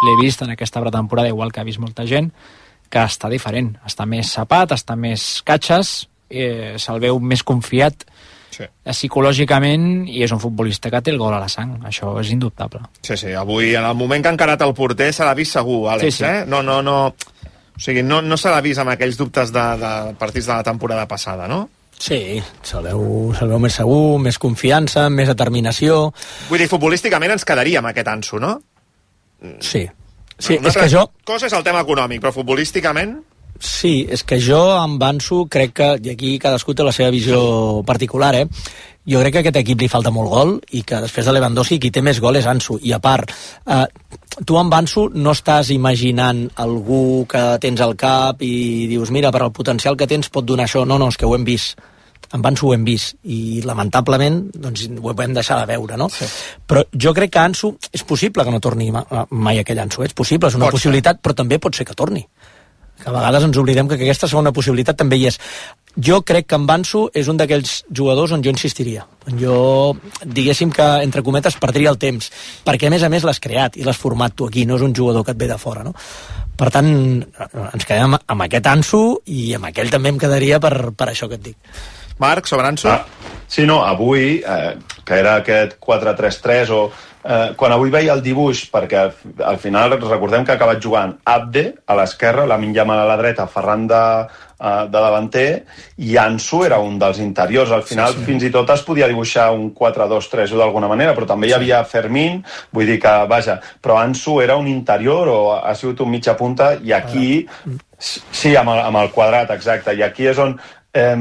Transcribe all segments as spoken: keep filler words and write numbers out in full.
l'he vist en aquesta pretemporada, igual que ha vist molta gent, que està diferent, està més sapat, està més catxes, eh, se'l veu més confiat sí. psicològicament, i és un futbolista que té el gol a la sang, això és indubtable. Sí, sí, avui en el moment que ha encarat el porter se l'ha vist segur, Àlex, sí, sí. eh? No, no, no, o sigui, no, no se l'ha vist amb aquells dubtes de, de partits de la temporada passada, no? Sí, se'l veu, se veu més segur, més confiança, més determinació. Vull dir, futbolísticament ens quedaríem aquest Ansu, no? Sí. Sí, una és que jo... cosa és el tema econòmic, però futbolísticament... Sí, és que jo amb Ansu crec que, i aquí cadascú té la seva visió particular, eh? Jo crec que a aquest equip li falta molt gol i que després de Lewandowski qui té més gol és Ansu. I a part, eh, tu amb Ansu no estàs imaginant algú que tens al cap i dius, mira, per al potencial que tens pot donar això. No, no, és que ho hem vist. Amb Ansu ho hem vist i lamentablement doncs, ho hem deixat de veure, no? Sí. Però jo crec que Ansu és possible que no torni mai aquell Ansu, és possible, és una pot possibilitat, ser. Però també pot ser que torni. Que a vegades ens oblidem que aquesta segona possibilitat també hi és. Jo crec que en Ansu és un d'aquells jugadors on jo insistiria. Jo, diguéssim que, entre cometes, perdria el temps, perquè a més a més l'has creat i l'has format tu aquí, no és un jugador que et ve de fora, no? Per tant, ens quedem amb aquest Ansu i amb aquell també em quedaria per, per això que et dic. Marc, sobre Ansu? Ah, sí, no, avui, eh, que era aquest quatre tres tres o... Eh, quan avui veia el dibuix, perquè al, al final recordem que ha acabat jugant Abde a l'esquerra, Lamine Yamal a la dreta, Ferran de, uh, de davanter, i Ansu era un dels interiors. Al final sí, sí. fins i tot es podia dibuixar un quatre dos tres u d'alguna manera, però també hi havia Fermín, vull dir que, vaja, però Ansu era un interior o ha sigut un mitja punta, i aquí, sí, amb el, amb el quadrat, exacte, i aquí és on Eh,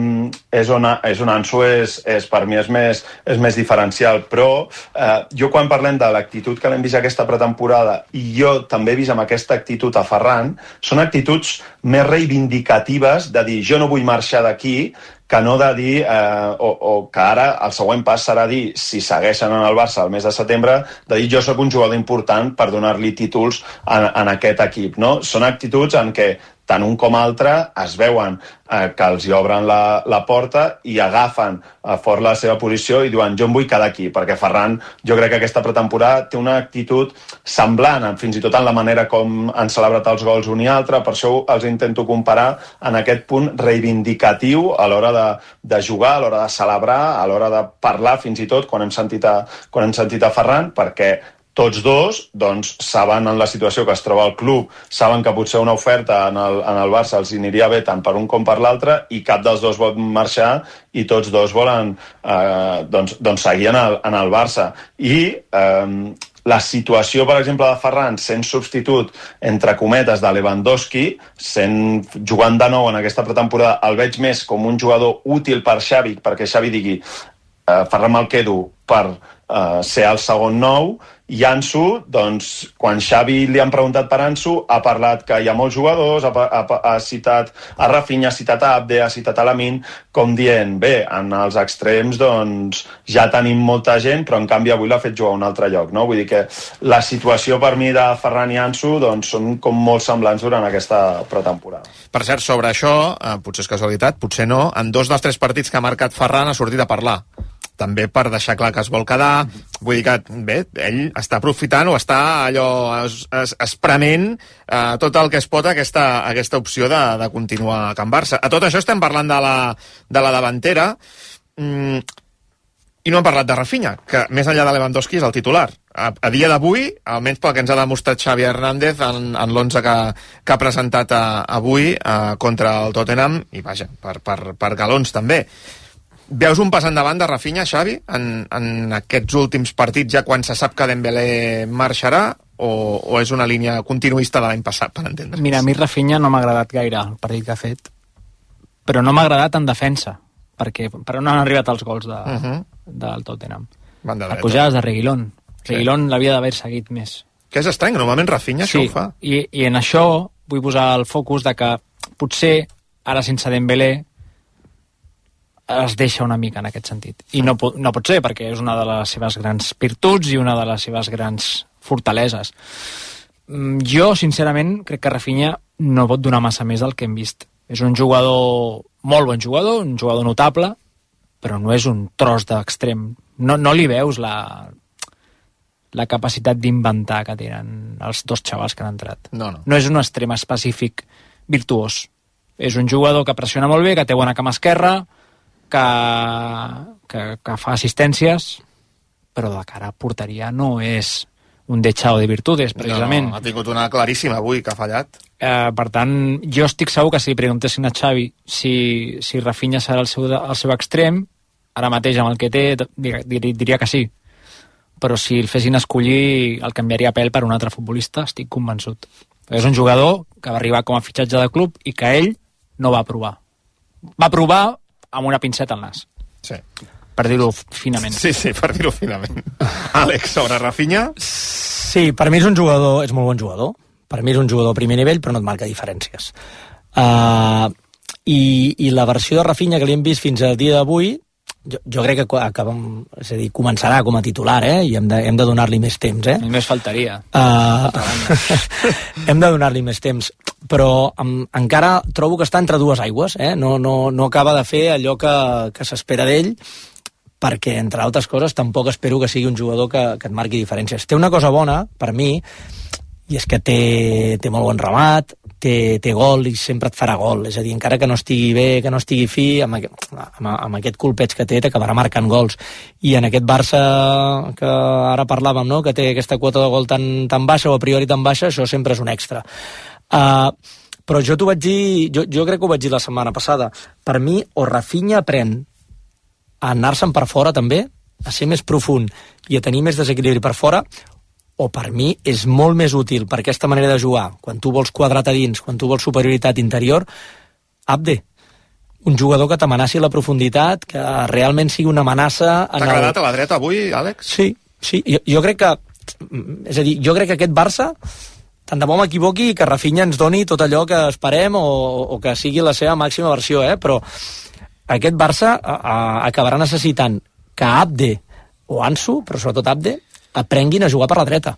és, on, és on Ansu és, és, per mi és més, és més diferencial, però eh, jo quan parlem de l'actitud que l'hem vist aquesta pretemporada i jo també he vist amb aquesta actitud a Ferran, són actituds més reivindicatives de dir jo no vull marxar d'aquí, que no de dir, eh, o, o que ara el següent pas serà dir, si segueixen en el Barça el mes de setembre, de dir jo sóc un jugador important per donar-li títols en, en aquest equip, no? Són actituds en què tant un com altre es veuen eh, que els hi obren la, la porta i agafen eh, fort la seva posició i diuen jo em vull quedar aquí, perquè Ferran jo crec que aquesta pretemporada té una actitud semblant, fins i tot en la manera com han celebrat els gols un i altre, per això els intento comparar en aquest punt reivindicatiu a l'hora de, de jugar, a l'hora de celebrar, a l'hora de parlar fins i tot quan hem sentit a, quan hem sentit a Ferran, perquè tots dos doncs, saben en la situació que es troba el club, saben que potser una oferta en el, en el Barça els aniria bé tant per un com per l'altre i cap dels dos vol marxar i tots dos volen eh, doncs, doncs seguir en el, en el Barça. I eh, la situació, per exemple, de Ferran sent substitut, entre cometes, de Lewandowski, sent, jugant de nou en aquesta pretemporada, el veig més com un jugador útil per Xavi, perquè Xavi digui eh, Ferran me'l quedo per eh, ser el segon nou. I Ansu, doncs, quan Xavi li han preguntat per Ansu, ha parlat que hi ha molts jugadors, ha, ha, ha citat a Rafinha, ha citat a Abde, ha citat a Lamine, com dient, bé, en els extrems, doncs, ja tenim molta gent, però en canvi avui l'ha fet jugar a un altre lloc, no? Vull dir que la situació per mi de Ferran i Ansu, doncs, són com molt semblants durant aquesta pretemporada. Per cert, sobre això, eh, potser és casualitat, potser no, en dos dels tres partits que ha marcat Ferran ha sortit a parlar. També per deixar clar que es vol quedar, vull dir que, bé, ell està aprofitant o està allò es, es, esprement eh, tot el que es pot aquesta, aquesta opció de, de continuar a Can Barça. A tot això estem parlant de la, de la davantera mm, i no hem parlat de Rafinha, que més enllà de Lewandowski és el titular. A, a dia d'avui, almenys pel que ens ha demostrat Xavi Hernández en, en l'onze que, que ha presentat a, avui a, contra el Tottenham, i vaja, per, per, per galons també. Veus un pas endavant de Rafinha, Xavi, en, en aquests últims partits, ja quan se sap que Dembélé marxarà, o, o és una línia continuista de l'any passat, per entendre's? Mira, a mi Rafinha no m'ha agradat gaire el partit que ha fet, però no m'ha agradat en defensa, perquè per on han arribat els gols de, uh -huh. del Tottenham. A pujades de Reguilón. Reguilón sí. L'havia d'haver seguit més. Que és estrany, normalment Rafinha sí, això ho fa. I, i en això vull posar el focus de que potser, ara sense Dembélé, es deixa una mica en aquest sentit. I no, no pot ser, perquè és una de les seves grans virtuts i una de les seves grans fortaleses. Jo, sincerament, crec que Rafinha no pot donar massa més del que hem vist. És un jugador, molt bon jugador, un jugador notable, però no és un tros d'extrem. No, no li veus la, la capacitat d'inventar que tenen els dos xavals que han entrat. No, no. No és un extrem específic virtuós. És un jugador que pressiona molt bé, que té bona cama esquerra, que, que, que fa assistències, però de cara a porteria no és un dechado de virtudes, precisament. No, no, ha tingut una claríssima avui, que ha fallat. Eh, per tant, jo estic segur que si li preguntessin a Xavi si, si Rafinha serà el seu, el seu extrem, ara mateix amb el que té, diria, diria que sí. Però si el fessin escollir, el canviaria a pèl per un altre futbolista, estic convençut. És un jugador que va arribar com a fitxatge de club i que ell no va provar. Va provar amb una pinceta al nas. Sí. Per dir-ho finament. Sí, sí, per dir-ho finament. Àlex, sobre Rafinha? Sí, per mi és un jugador, és molt bon jugador. Per mi és un jugador a primer nivell, però no et marca diferències. Uh, i, I la versió de Rafinha que li hem vist fins al dia d'avui, jo, jo crec que acabem, és a dir, començarà com a titular, eh? I hem de, hem de donar-li més temps, eh? Només faltaria. Uh, hem de donar-li més temps, però um, encara trobo que està entre dues aigües, eh? No, no, no acaba de fer allò que, que s'espera d'ell, perquè, entre altres coses, tampoc espero que sigui un jugador que, que et marqui diferències. Té una cosa bona, per mi, i és que té, té molt bon remat, té, té gol i sempre et farà gol. És a dir, encara que no estigui bé, que no estigui fi, amb, aquest, amb, amb aquest colpeig que té, t'acabarà marcant gols. I en aquest Barça que ara parlàvem, no?, que té aquesta quota de gol tan, tan baixa, o a priori tan baixa, això sempre és un extra. Uh, però jo t'ho vaig dir, jo, jo crec que ho vaig dir la setmana passada, per mi, o Rafinha aprèn a anar-se'n per fora també, a ser més profund i a tenir més desequilibri per fora, o per mi és molt més útil per aquesta manera de jugar, quan tu vols quadrat a dins, quan tu vols superioritat interior, Abde, un jugador que t'amenaci la profunditat, que realment sigui una amenaça... T'ha agradat el... a la dreta avui, Àlex? Sí, sí, jo, jo crec que... És a dir, jo crec que aquest Barça, tant de bo m'equivoqui, que Rafinha ens doni tot allò que esperem o, o que sigui la seva màxima versió, eh? Però aquest Barça a, a, acabarà necessitant que Abde o Ansu, però sobretot Abde, aprenguin a jugar per la dreta.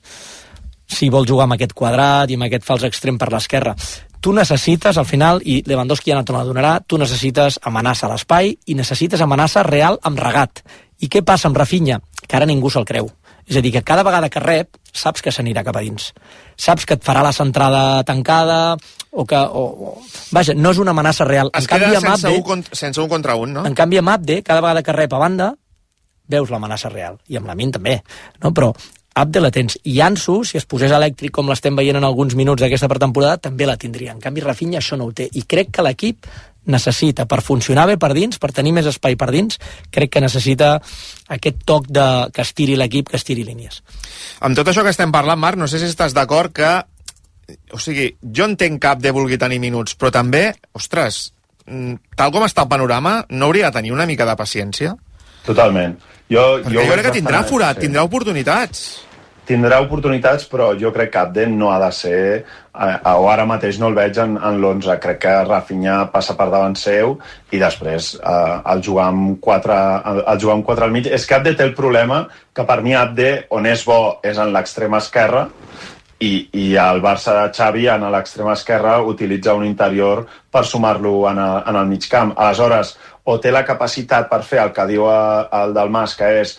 Si vol jugar amb aquest quadrat i amb aquest fals extrem per l'esquerra. Tu necessites, al final, i Lewandowski ja no te la donarà, tu necessites amenaça a l'espai i necessites amenaça real amb regat. I què passa amb Rafinha? Que ara ningú se'l creu. És a dir, que cada vegada que rep, saps que s'anirà cap a dins. Saps que et farà la centrada tancada, o que... O, o... Vaja, no és una amenaça real. Es en canvi, queda sense, Abde, un contra, sense un contra un, no? En canvi, amb Abde, cada vegada que rep a banda, veus l'amenaça real. I amb Lamine també. No? Però Abde la tens. I Ansu, si es posés elèctric com l'estem veient en alguns minuts d'aquesta pretemporada, també la tindria. En canvi, Rafinha això no ho té. I crec que l'equip necessita, per funcionar bé per dins, per tenir més espai per dins, crec que necessita aquest toc de que estiri l'equip, que estiri línies. Amb tot això que estem parlant, Marc, no sé si estàs d'acord que... O sigui, jo entenc que Abde vulgui tenir minuts, però també, ostres, tal com està el panorama, no hauria de tenir una mica de paciència? Totalment. Jo, Perquè jo, jo crec que tindrà forat, sí. Tindrà oportunitats. Tindrà oportunitats, però jo crec que Abde no ha de ser, eh, o ara mateix no el veig en, en l'onze. Crec que Rafinha passa per davant seu i després eh, el, jugar amb quatre, el, el jugar amb quatre al mig. És que Abde té el problema que per mi Abde, on és bo, és en l'extrema esquerra, i, i el Barça de Xavi en l'extrema esquerra utilitza un interior per sumar-lo en, a, en el mig camp. Aleshores, o té la capacitat per fer el que diu el del Mas, que és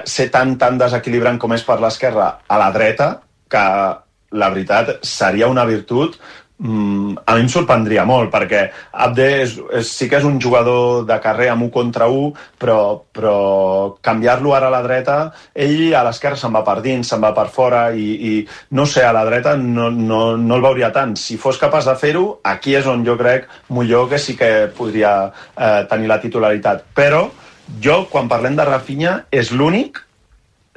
ser tan, tan desequilibrant com és per l'esquerra a la dreta, que la veritat seria una virtut. Mm, a mi em sorprendria molt, perquè Abde és, és, sí que és un jugador de carrer amb un contra un, però, però canviar-lo ara a la dreta, ell a l'esquerra se'n va per dins, se'n va per fora, i, i no sé, a la dreta no, no, no el veuria tant. Si fos capaç de fer-ho, aquí és on jo crec millor que sí que podria eh, tenir la titularitat. Però jo, quan parlem de Rafinha, és l'únic,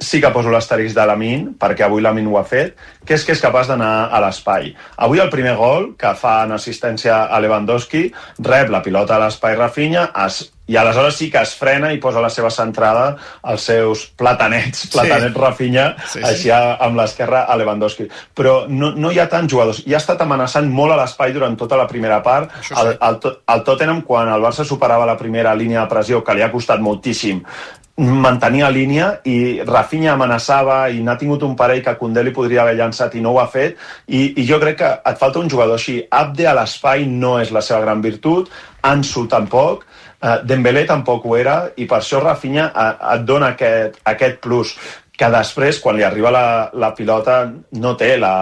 sí que poso l'asterisc de Lamine, perquè avui Lamine ho ha fet, que és que és capaç d'anar a l'espai. Avui el primer gol, que fa en assistència a Lewandowski, rep la pilota a l'espai Rafinha, es, i aleshores sí que es frena i posa la seva centrada als seus platanets, platanets sí. Rafinha, sí, sí. Així amb l'esquerra a Lewandowski. Però no, no hi ha tants jugadors. I ha estat amenaçant molt a l'espai durant tota la primera part. Sí. El, el, el Tottenham, quan el Barça superava la primera línia de pressió, que li ha costat moltíssim, mantenia línia, i Rafinha amenaçava i n'ha tingut un parell que Koundé li podria haver llançat i no ho ha fet, i, i jo crec que et falta un jugador així. Abde a l'espai no és la seva gran virtut, Ansu tampoc, uh, Dembélé tampoc ho era, i per això Rafinha uh, et dona aquest, aquest plus. que després, quan li arriba la, la pilota, no té la,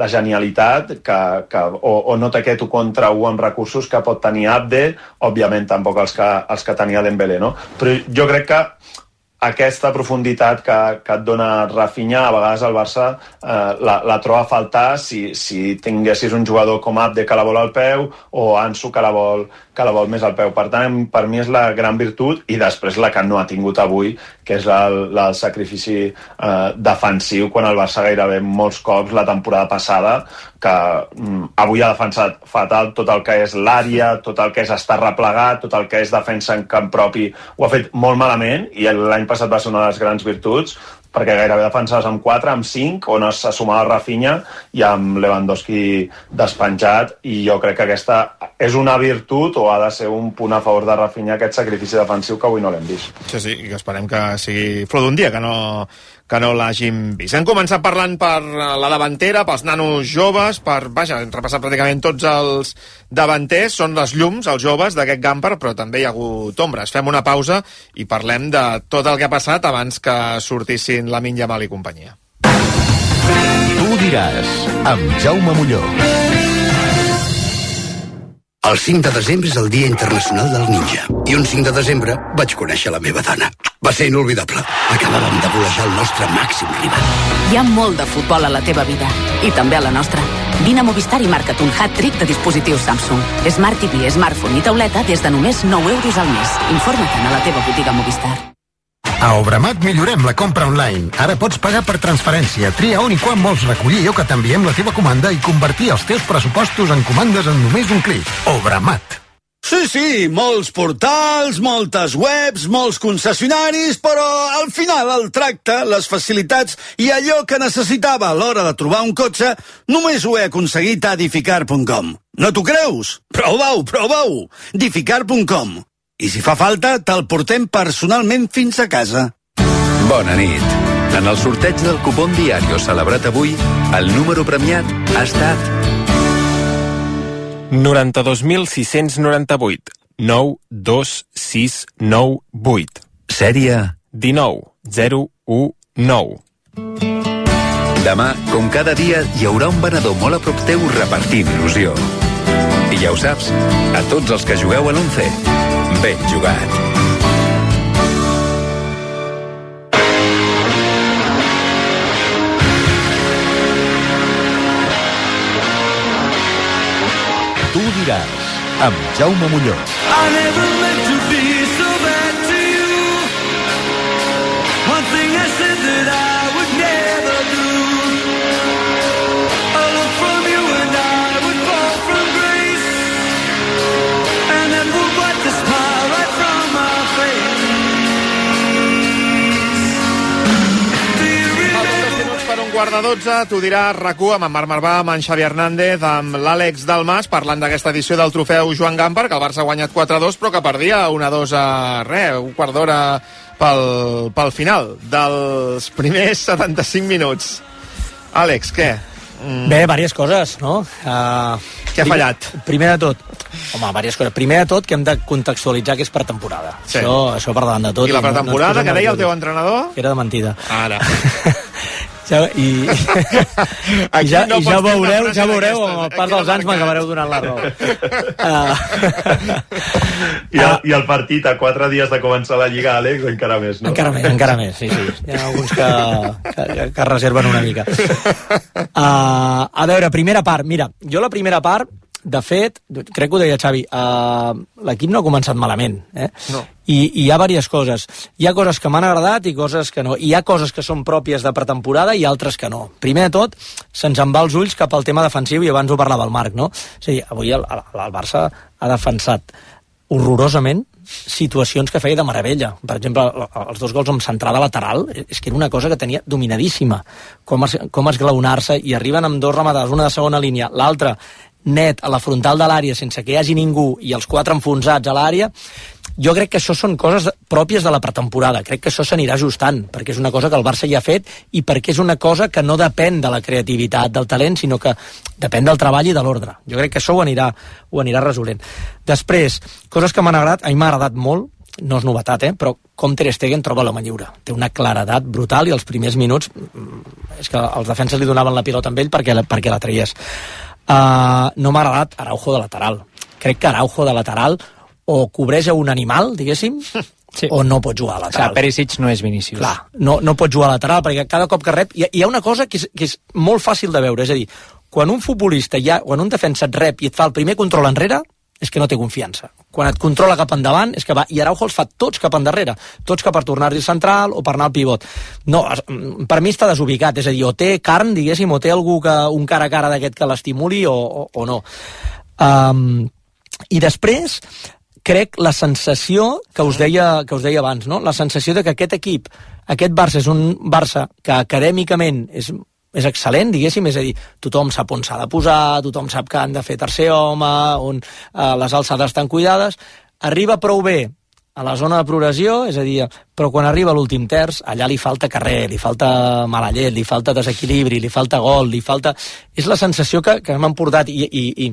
la genialitat que, que, o, o no té aquest u contra u amb recursos que pot tenir Abde, òbviament tampoc els que, els que tenia Dembélé, no? Però jo crec que aquesta profunditat que, que et dona Rafinha, a vegades el Barça eh, la, la troba a faltar si, si tinguessis un jugador com Abde que la vol al peu o Ansu que la vol, que la vol més al peu. Per tant, per mi és la gran virtut i després la que no ha tingut avui, que és el, el sacrifici eh, defensiu, quan el Barça gairebé molts cops la temporada passada, que mm, avui ha defensat fatal tot el que és l'àrea, tot el que és estar replegat, tot el que és defensa en camp propi, ho ha fet molt malament i l'any passat va ser una de les grans virtuts, perquè gairebé defensaves amb quatre, amb cinc, on es sumava Rafinha i amb Lewandowski despenjat, i jo crec que aquesta és una virtut o ha de ser un punt a favor de Rafinha, aquest sacrifici defensiu que avui no l'hem vist. Sí, sí, i que esperem que sigui flor d'un dia, que no, que no l'hàgim vist. Hem començat parlant per la davantera, pels nanos joves, per, vaja, hem repassat pràcticament tots els davanters, són les llums, els joves d'aquest Gamper, però també hi ha hagut ombres. Fem una pausa i parlem de tot el que ha passat abans que sortissin Lamine Yamal i companyia. Tu diràs, amb Jaume Molló. El cinc de desembre és el Dia Internacional del Ninja. I un cinc de desembre vaig conèixer la meva dona. Va ser inolvidable. Acabàvem de volejar el nostre màxim rival. Hi ha molt de futbol a la teva vida. I també a la nostra. Vine a Movistar i marca't un hat-trick de dispositius Samsung. Smart T V, smartphone i tauleta des de només nou euros al mes. Informa't a la teva botiga Movistar. A Obramat millorem la compra online. Ara pots pagar per transferència, tria on i quan vols recollir o que t'enviem la teva comanda i convertir els teus pressupostos en comandes en només un clic. Obramat. Sí, sí, molts portals, moltes webs, molts concessionaris, però al final el tracte, les facilitats i allò que necessitava a l'hora de trobar un cotxe només ho he aconseguit a Dificar punt com. No t'ho creus? Prova-ho, prova-ho! Dificar punt com. I si fa falta, te'l portem personalment fins a casa. Bona nit. En el sorteig del cupón Diario celebrat avui, el número premiat ha estat noranta-dos mil sis-cents noranta-vuit, nou dos sis nou vuit. Sèrie dinou zero u nou. Demà, com cada dia, hi haurà un venedor molt a prop teu repartint il·lusió. I ja ho saps, a tots els que jugueu a l'Once, ben jugat. Tu diràs, amb Jaume Molló. I never meant to be so bad to you. One thing I said that I would never do. A look from you and I would fall from grace. And then would wipe the smile right from my face. Do you remember? Per un quart de dotze, t'ho dirà RAC u amb en Marc Marvà, amb en Xavi Hernández, amb l'Àlex Dalmas, parlant d'aquesta edició del trofeu Joan Gamper, que el Barça ha guanyat quatre a dos, però que perdia un a dos a res, un quart d'hora pel, pel final dels primers setanta-cinc minuts. Àlex, què? Mm. Bé, diverses coses, no? Uh, Què ha fallat? Primer de tot, home, diverses coses. Primer de tot, que hem de contextualitzar que és per temporada. Sí. Això, això per davant de tot. I la pretemporada, no, no que deia el teu entrenador? Que era de mentida. Ara. Ja, i, i ja, no i ja veureu, ja veureu, amb el pas dels anys m'acabareu donant la raó. Uh, I, el, I el partit a quatre dies de començar la Lliga, Àlex, encara més, no? Encara més, encara més, sí, sí. Hi ha alguns que, que, que reserven una mica. Uh, a veure, primera part. Mira, jo la primera part, de fet, crec que ho deia Xavi, uh, l'equip no ha començat malament, eh? No. I, i hi ha diverses coses. Hi ha coses que m'han agradat i coses que no. I hi ha coses que són pròpies de pretemporada i altres que no. Primer de tot, se'ns en va els ulls cap al tema defensiu, i abans ho parlava el Marc, no? O sigui, avui el, el, el Barça ha defensat horrorosament situacions que feia de meravella. Per exemple, els dos gols amb centrada lateral, és que era una cosa que tenia dominadíssima. Com, es, com esglaonar-se, i arriben amb dos rematades, una de segona línia, l'altra net a la frontal de l'àrea sense que hi hagi ningú i els quatre enfonsats a l'àrea. Jo crec que això són coses pròpies de la pretemporada. Crec que això s'anirà ajustant, perquè és una cosa que el Barça ja ha fet i perquè és una cosa que no depèn de la creativitat, del talent, sinó que depèn del treball i de l'ordre. Jo crec que això ho anirà, ho anirà resolent. Després, coses que m'han agradat, a mi m'ha agradat molt no és novetat, eh? Però com Ter Stegen troba l'home lliure. Té una claredat brutal i els primers minuts és que els defenses li donaven la pilota amb ell perquè, perquè la traies. Uh, no m'ha agradat Araujo de lateral. Crec que Araujo de lateral o cobreix a un animal, diguéssim, sí. o no pot jugar a lateral. O sigui, Perisic no és Vinícius. Clar, no, no pot jugar a lateral perquè cada cop que rep... Hi ha, hi ha una cosa que és, que és molt fàcil de veure, és a dir, quan un futbolista, ja, quan un defensa et rep i et fa el primer control enrere, és que no té confiança. Quan et controla cap endavant, és que va... I Araujo els fa tots cap endarrere. Tots cap per tornar-hi al central o per anar al pivot. No, per mi està desubicat. És a dir, o té carn, diguéssim, o té algú que, un cara a cara d'aquest que l'estimuli o, o, o no. Um, I després, crec la sensació que us deia, que us deia abans, no? La sensació de que aquest equip, aquest Barça és un Barça que acadèmicament és és excel·lent, diguéssim, és a dir, tothom sap on s'ha de posar, tothom sap que han de fer tercer home, on eh, les alçades estan cuidades, arriba prou bé a la zona de progressió, és a dir, però quan arriba a l'últim terç, allà li falta carrer, li falta mala llet, li falta desequilibri, li falta gol, li falta... És la sensació que, que m'han portat i, i, i,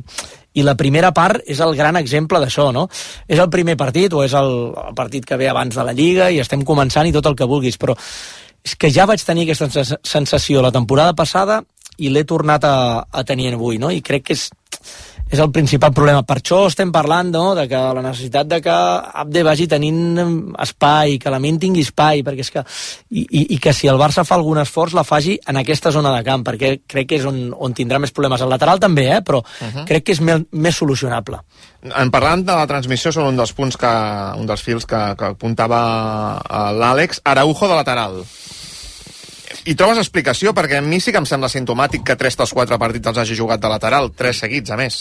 i la primera part és el gran exemple d'això, no? És el primer partit o és el, el partit que ve abans de la Lliga i estem començant i tot el que vulguis, però és que ja vaig tenir aquesta sensació la temporada passada i l'he tornat a, a tenir avui, no? I crec que és, és el principal problema. Per això estem parlant, no?, de que la necessitat de que Abde vagi tenint espai, que la Min tingui espai, perquè és que... I, i, i que si el Barça fa algun esforç la faci en aquesta zona de camp, perquè crec que és on, on tindrà més problemes. El lateral també, eh?, però uh-huh. crec que és més, més solucionable. En parlant de la transmissió, són un dels punts que, un dels fils que, que apuntava l'Àlex. Araujo de lateral. I trobes explicació? Perquè a mi sí que em sembla simptomàtic que tres dels quatre partits els hagi jugat de lateral, tres seguits, a més.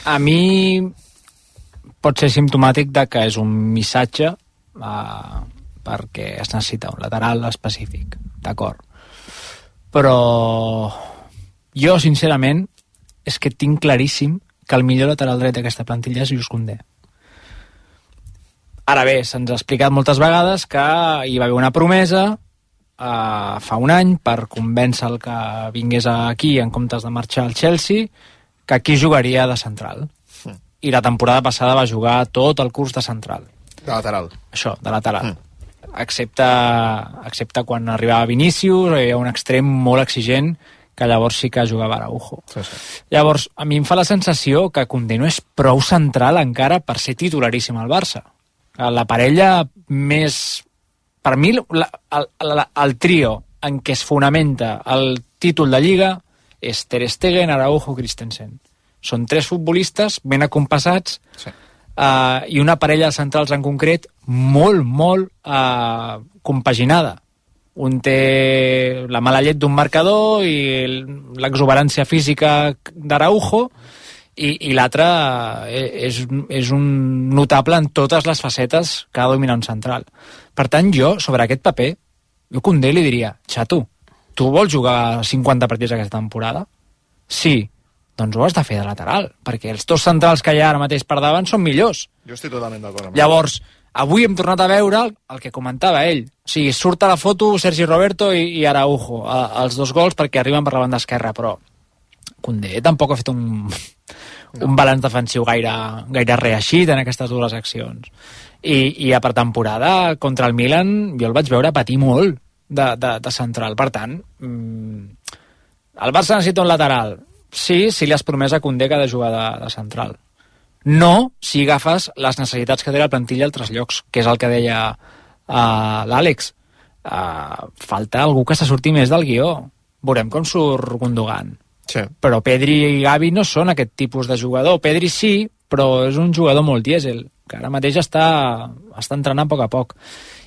A mi pot ser simptomàtic de que és un missatge uh, perquè es necessita un lateral específic, d'acord. Però jo, sincerament, és que tinc claríssim que el millor lateral dret d'aquesta plantilla és Jules Koundé. Ara bé, se'ns ha explicat moltes vegades que hi va haver una promesa Uh, fa un any per convèncer el que vingués aquí en comptes de marxar al Chelsea, que aquí jugaria de central. Mm. I la temporada passada va jugar tot el curs de central. De lateral. Això, de lateral. Mm. Excepte, excepte quan arribava Vinícius, hi havia un extrem molt exigent que llavors sí que jugava Araujo. Sí, sí. Llavors, a mi em fa la sensació que Koundé no és prou central encara per ser titularíssim al Barça. La parella més... Per mi, la, el, el, el trio en què es fonamenta el títol de Lliga és Ter Stegen, Araujo, Christensen. Són tres futbolistes ben acompassats sí. uh, i una parella de centrals en concret molt, molt uh, compaginada. Un té la mala llet d'un marcador i l'exuberància física d'Araujo i, i l'altre és, és un notable en totes les facetes que ha de dominar un central. Per tant, jo, sobre aquest paper, jo a Koundé li diria, xato, tu vols jugar cinquanta partits aquesta temporada? Sí, doncs ho has de fer de lateral, perquè els dos centrals que hi ha ara mateix per davant són millors. Jo estic totalment d'acord amb Llavors, avui hem tornat a veure el, el que comentava ell. O sigui, surt a la foto Sergi Roberto i, i Araujo, a, els dos gols perquè arriben per la banda esquerra, però Koundé tampoc ha fet un, no. un balanç defensiu gaire, gaire reeixit en aquestes dues accions. I, i a per temporada contra el Milan jo el vaig veure patir molt de, de, de central. Per tant, mmm, el Barça necessita un lateral. Sí, si li has promès a Koundé que ha de jugar de, de central. No si agafes les necessitats que té la plantilla a altres llocs, que és el que deia uh, l'Àlex. Uh, falta algú que se surti més del guió. Veurem com surt Gundogan. Sí. Però Pedri i Gavi no són aquest tipus de jugador. Pedri sí, però és un jugador molt dièsel, que ara mateix està, està entrenant a poc a poc.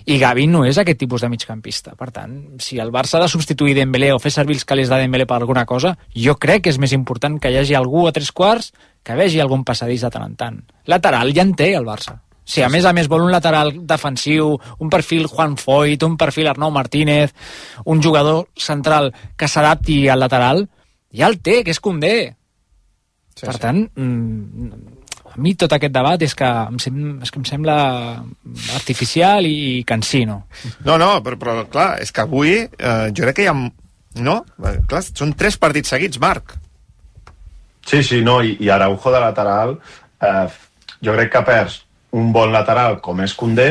I Gavi no és aquest tipus de migcampista. Per tant, si el Barça ha de substituir Dembélé o fer servir els calés de Dembélé per alguna cosa, jo crec que és més important que hi hagi algú a tres quarts que vegi algun passadís de tant en tant. Lateral ja en té el Barça. Si a més a més vol un lateral defensiu, un perfil Juan Foyt, un perfil Arnau Martínez, un jugador central que s'adapti al lateral, ja el té, que és Koundé. Sí, per sí. tant, a mi tot aquest debat és que em, sem és que em sembla artificial i cansino. No, no, però, però clar, és que avui eh, jo crec que hi ha... No? Clar, són tres partits seguits, Marc. Sí, sí, no, i, i Araujo de lateral eh, jo crec que perds un bon lateral com és Koundé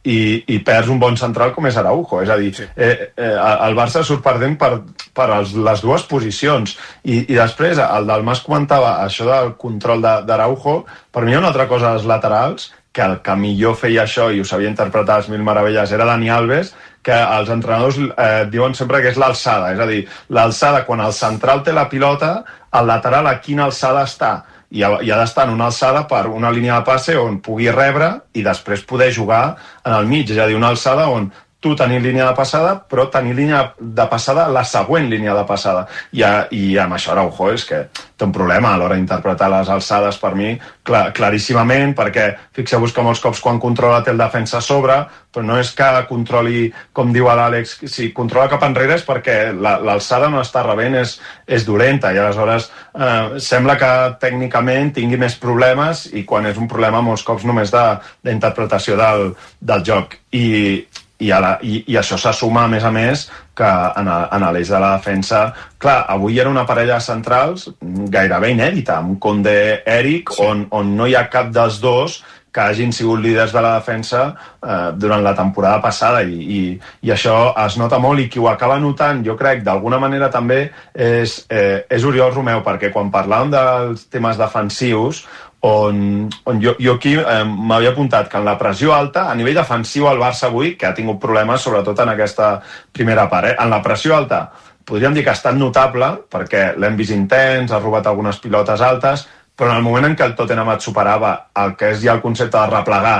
i, i perds un bon central com és Araujo. És a dir, sí. eh, eh, el Barça surt perdent per, per els, les dues posicions. I, I després, el Dalmas comentava això del control d'Araujo. Per mi hi ha una altra cosa als laterals, que el que millor feia això i ho sabia interpretar als mil meravelles era Dani Alves, que els entrenadors eh, diuen sempre que és l'alçada. És a dir, l'alçada, quan el central té la pilota, el lateral a quina alçada està. I ha, i ha d'estar en una alçada per una línia de passe on pugui rebre i després poder jugar en el mig, és a dir, una alçada on tu tenir línia de passada, però tenir línia de passada la següent línia de passada. I, a, i amb això Araujo és que té un problema a l'hora d'interpretar les alçades, per mi, clar, claríssimament, perquè fixeu-vos que molts cops quan controla té el defensa a sobre, però no és que controli, com diu l'Àlex, si controla cap enrere és perquè l'alçada no està rebent, és, és dolenta, i aleshores eh, sembla que tècnicament tingui més problemes, i quan és un problema molts cops només d'interpretació de, del, del joc. I, i, a la, i, i això se suma, a més a més, que en, en l'eix de la defensa, clar, avui era una parella de centrals gairebé inèdita, amb Koundé-Eric, sí. on, on no hi ha cap dels dos que hagin sigut líders de la defensa eh, durant la temporada passada, i, i, i això es nota molt, i qui ho acaba notant, jo crec, d'alguna manera també és, eh, és Oriol Romeu, perquè quan parlàvem dels temes defensius, on, on jo, jo aquí eh, m'havia apuntat que en la pressió alta, a nivell defensiu el Barça avui, que ha tingut problemes sobretot en aquesta primera part, eh? En la pressió alta podríem dir que ha estat notable, perquè l'hem vist intens, ha robat algunes pilotes altes, però en el moment en què el Tottenham et superava el que és ja el concepte de replegar,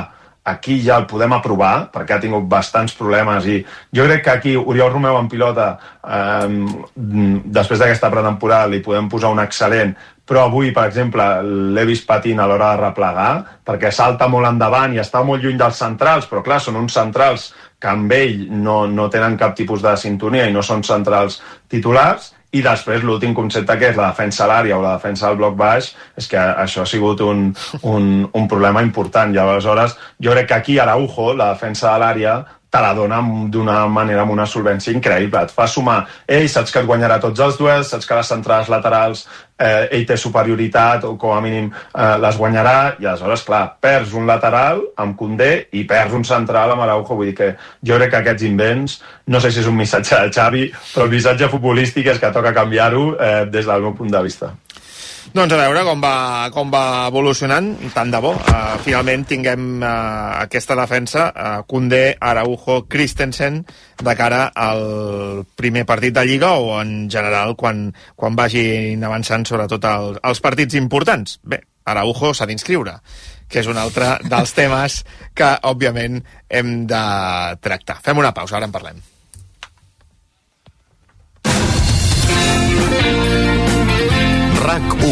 aquí ja el podem aprovar, perquè ha tingut bastants problemes, i jo crec que aquí Oriol Romeu en pilota, eh, després d'aquesta pretemporada li podem posar un excel·lent, però avui, per exemple, l'he vist patint a l'hora de replegar, perquè salta molt endavant i està molt lluny dels centrals, però clar, són uns centrals que amb ell no, no tenen cap tipus de sintonia i no són centrals titulars. I després l'últim concepte, que és la defensa a l'àrea o la defensa al bloc baix, és que això ha sigut un, un, un problema important. I aleshores jo crec que aquí Araujo, la defensa de l'àrea, te la dona d'una manera, amb una solvència increïble. Et fa sumar, ell saps que et guanyarà tots els duels, saps que les centrals laterals eh, ell té superioritat, o com a mínim eh, les guanyarà, i aleshores, clar, perds un lateral amb Koundé i perds un central amb Araujo. Vull dir que jo crec que aquests invents, no sé si és un missatge de Xavi, però el missatge futbolístic és que toca canviar-ho eh, des del meu punt de vista. Doncs a veure com va, com va evolucionant, tant de bo. Uh, finalment tinguem uh, aquesta defensa, uh, Koundé, Araujo, Christensen, de cara al primer partit de Lliga, o en general quan, quan vagin avançant sobretot el, els partits importants. Bé, Araujo s'ha d'inscriure, que és un altre dels temes que, òbviament, hem de tractar. Fem una pausa, ara en parlem. RAC u.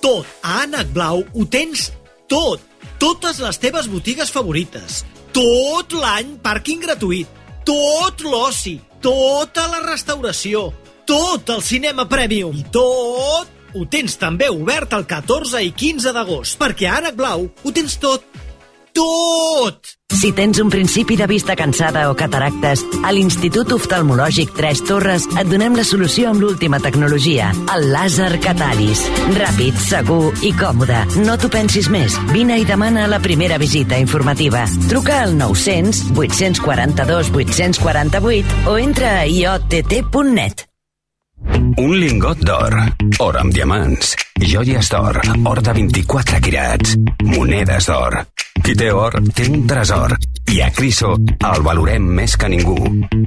Tot a Ànec Blau ho tens tot. Totes les teves botigues favorites. Tot l'any pàrquing gratuït. Tot l'oci. Tota la restauració. Tot el cinema premium. I tot ho tens també obert el catorze i quinze d'agost, perquè a Ànec Blau ho tens tot. Tot! Si tens un principi de vista cansada o cataractes, a l'Institut Oftalmològic Tres Torres et donem la solució amb l'última tecnologia, el làser Catalis. Ràpid, segur i còmode. No t'ho pensis més. Vine i demana la primera visita informativa. Truca al nou-cents vuit-cents quaranta-dos vuit-cents quaranta-vuit o entra a i o te te punt net. Un lingot d'or, or amb diamants, joies d'or, or de vint-i-quatre quirats, monedes d'or. Qui té or, té un tresor. I a Criso el valorem més que ningú.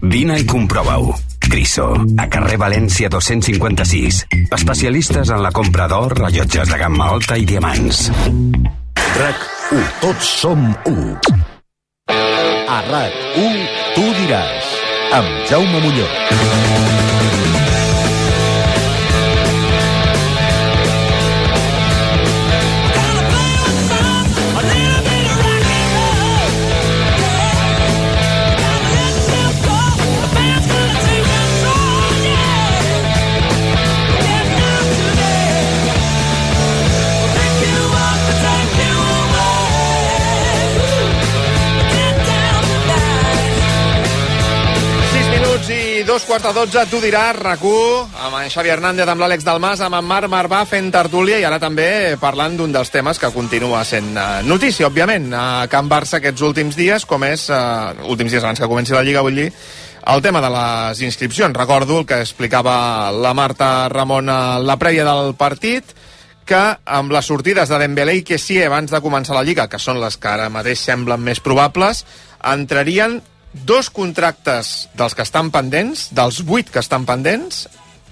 Vine i comprova-ho. Criso, a carrer València dos-cents cinquanta-sis. Especialistes en la compra d'or, rellotges de gamma alta i diamants. RAC u. Tots som u. A RAC u, tu diràs. Amb Jaume Muñoz. dos quarts de dotze, tu diràs, RAC u, amb en Xavi Hernández, amb l'Àlex Dalmas, amb en Marc Marvà fent tertúlia i ara també parlant d'un dels temes que continua sent uh, notícia, òbviament, a Can Barça aquests últims dies, com és, uh, últims dies abans que comenci la Lliga, vull dir, el tema de les inscripcions. Recordo el que explicava la Marta Ramon a la prèvia del partit, que amb les sortides de Dembélé i Kessié abans de començar la Lliga, que són les que ara mateix semblen més probables, entrarien dos contractes dels que estan pendents, dels vuit que estan pendents,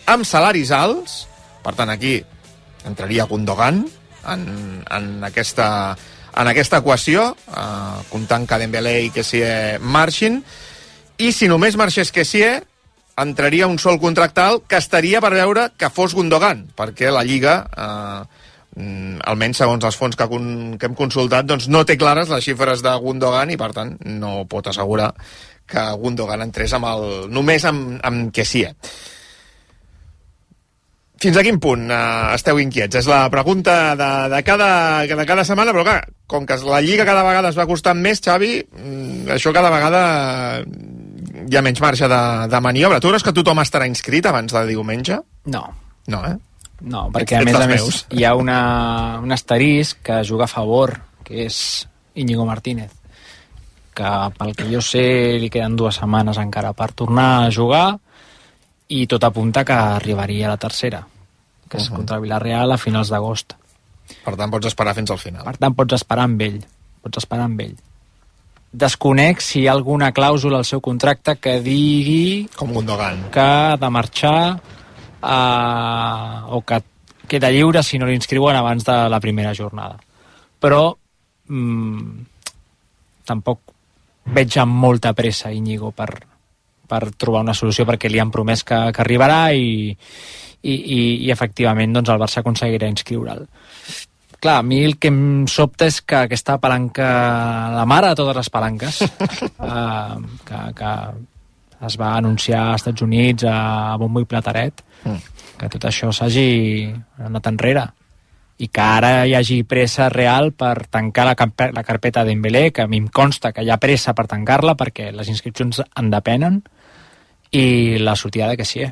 amb salaris alts. Per tant, aquí entraria Gundogan en, en, aquesta, en aquesta equació, eh, comptant que Dembélé i Kessié marxin, i si només marxés Kessié, entraria un sol contracte alt que estaria per veure que fos Gundogan, perquè la Lliga... Eh, almenys segons els fons que, que hem consultat, doncs no té clares les xifres de Gundogan i per tant no pot assegurar que Gundogan entrés amb el, només amb, amb Kessié. Fins a quin punt eh, esteu inquiets? És la pregunta de, de, cada, de cada setmana, però clar, com que la Lliga cada vegada es va costant més, Xavi, això cada vegada hi ha menys marge de, de maniobra. Tu creus que tothom estarà inscrit abans de diumenge? No. No, eh? No, perquè a més a més hi ha una, un asterisc que juga a favor, que és Íñigo Martínez, que pel que jo sé li queden dues setmanes encara per tornar a jugar i tot apunta que arribaria a la tercera, que és contra Villarreal a finals d'agost. Per tant, pots esperar fins al final. Per tant, pots esperar amb ell. Pots esperar amb ell. Desconec si hi ha alguna clàusula al seu contracte que digui... Com Gundogan. Que ha de marxar... Uh, o que queda lliure si no l'inscriuen abans de la primera jornada. Però mm, tampoc veig amb molta pressa Íñigo per, per trobar una solució, perquè li han promès que, que arribarà i, i, i, i efectivament doncs, el Barça aconseguirà inscriure'l. Clar, a mi el que em sobta és que aquesta palanca, la mare de totes les palanques, uh, que, que es va anunciar als Estats Units a bombo i plataret, mm. que tot això s'hagi anat enrere i que ara hi hagi pressa real per tancar la, la carpeta de Dembélé, que a mi em consta que hi ha pressa per tancar-la perquè les inscripcions en depenen, i la sortida de Kessié,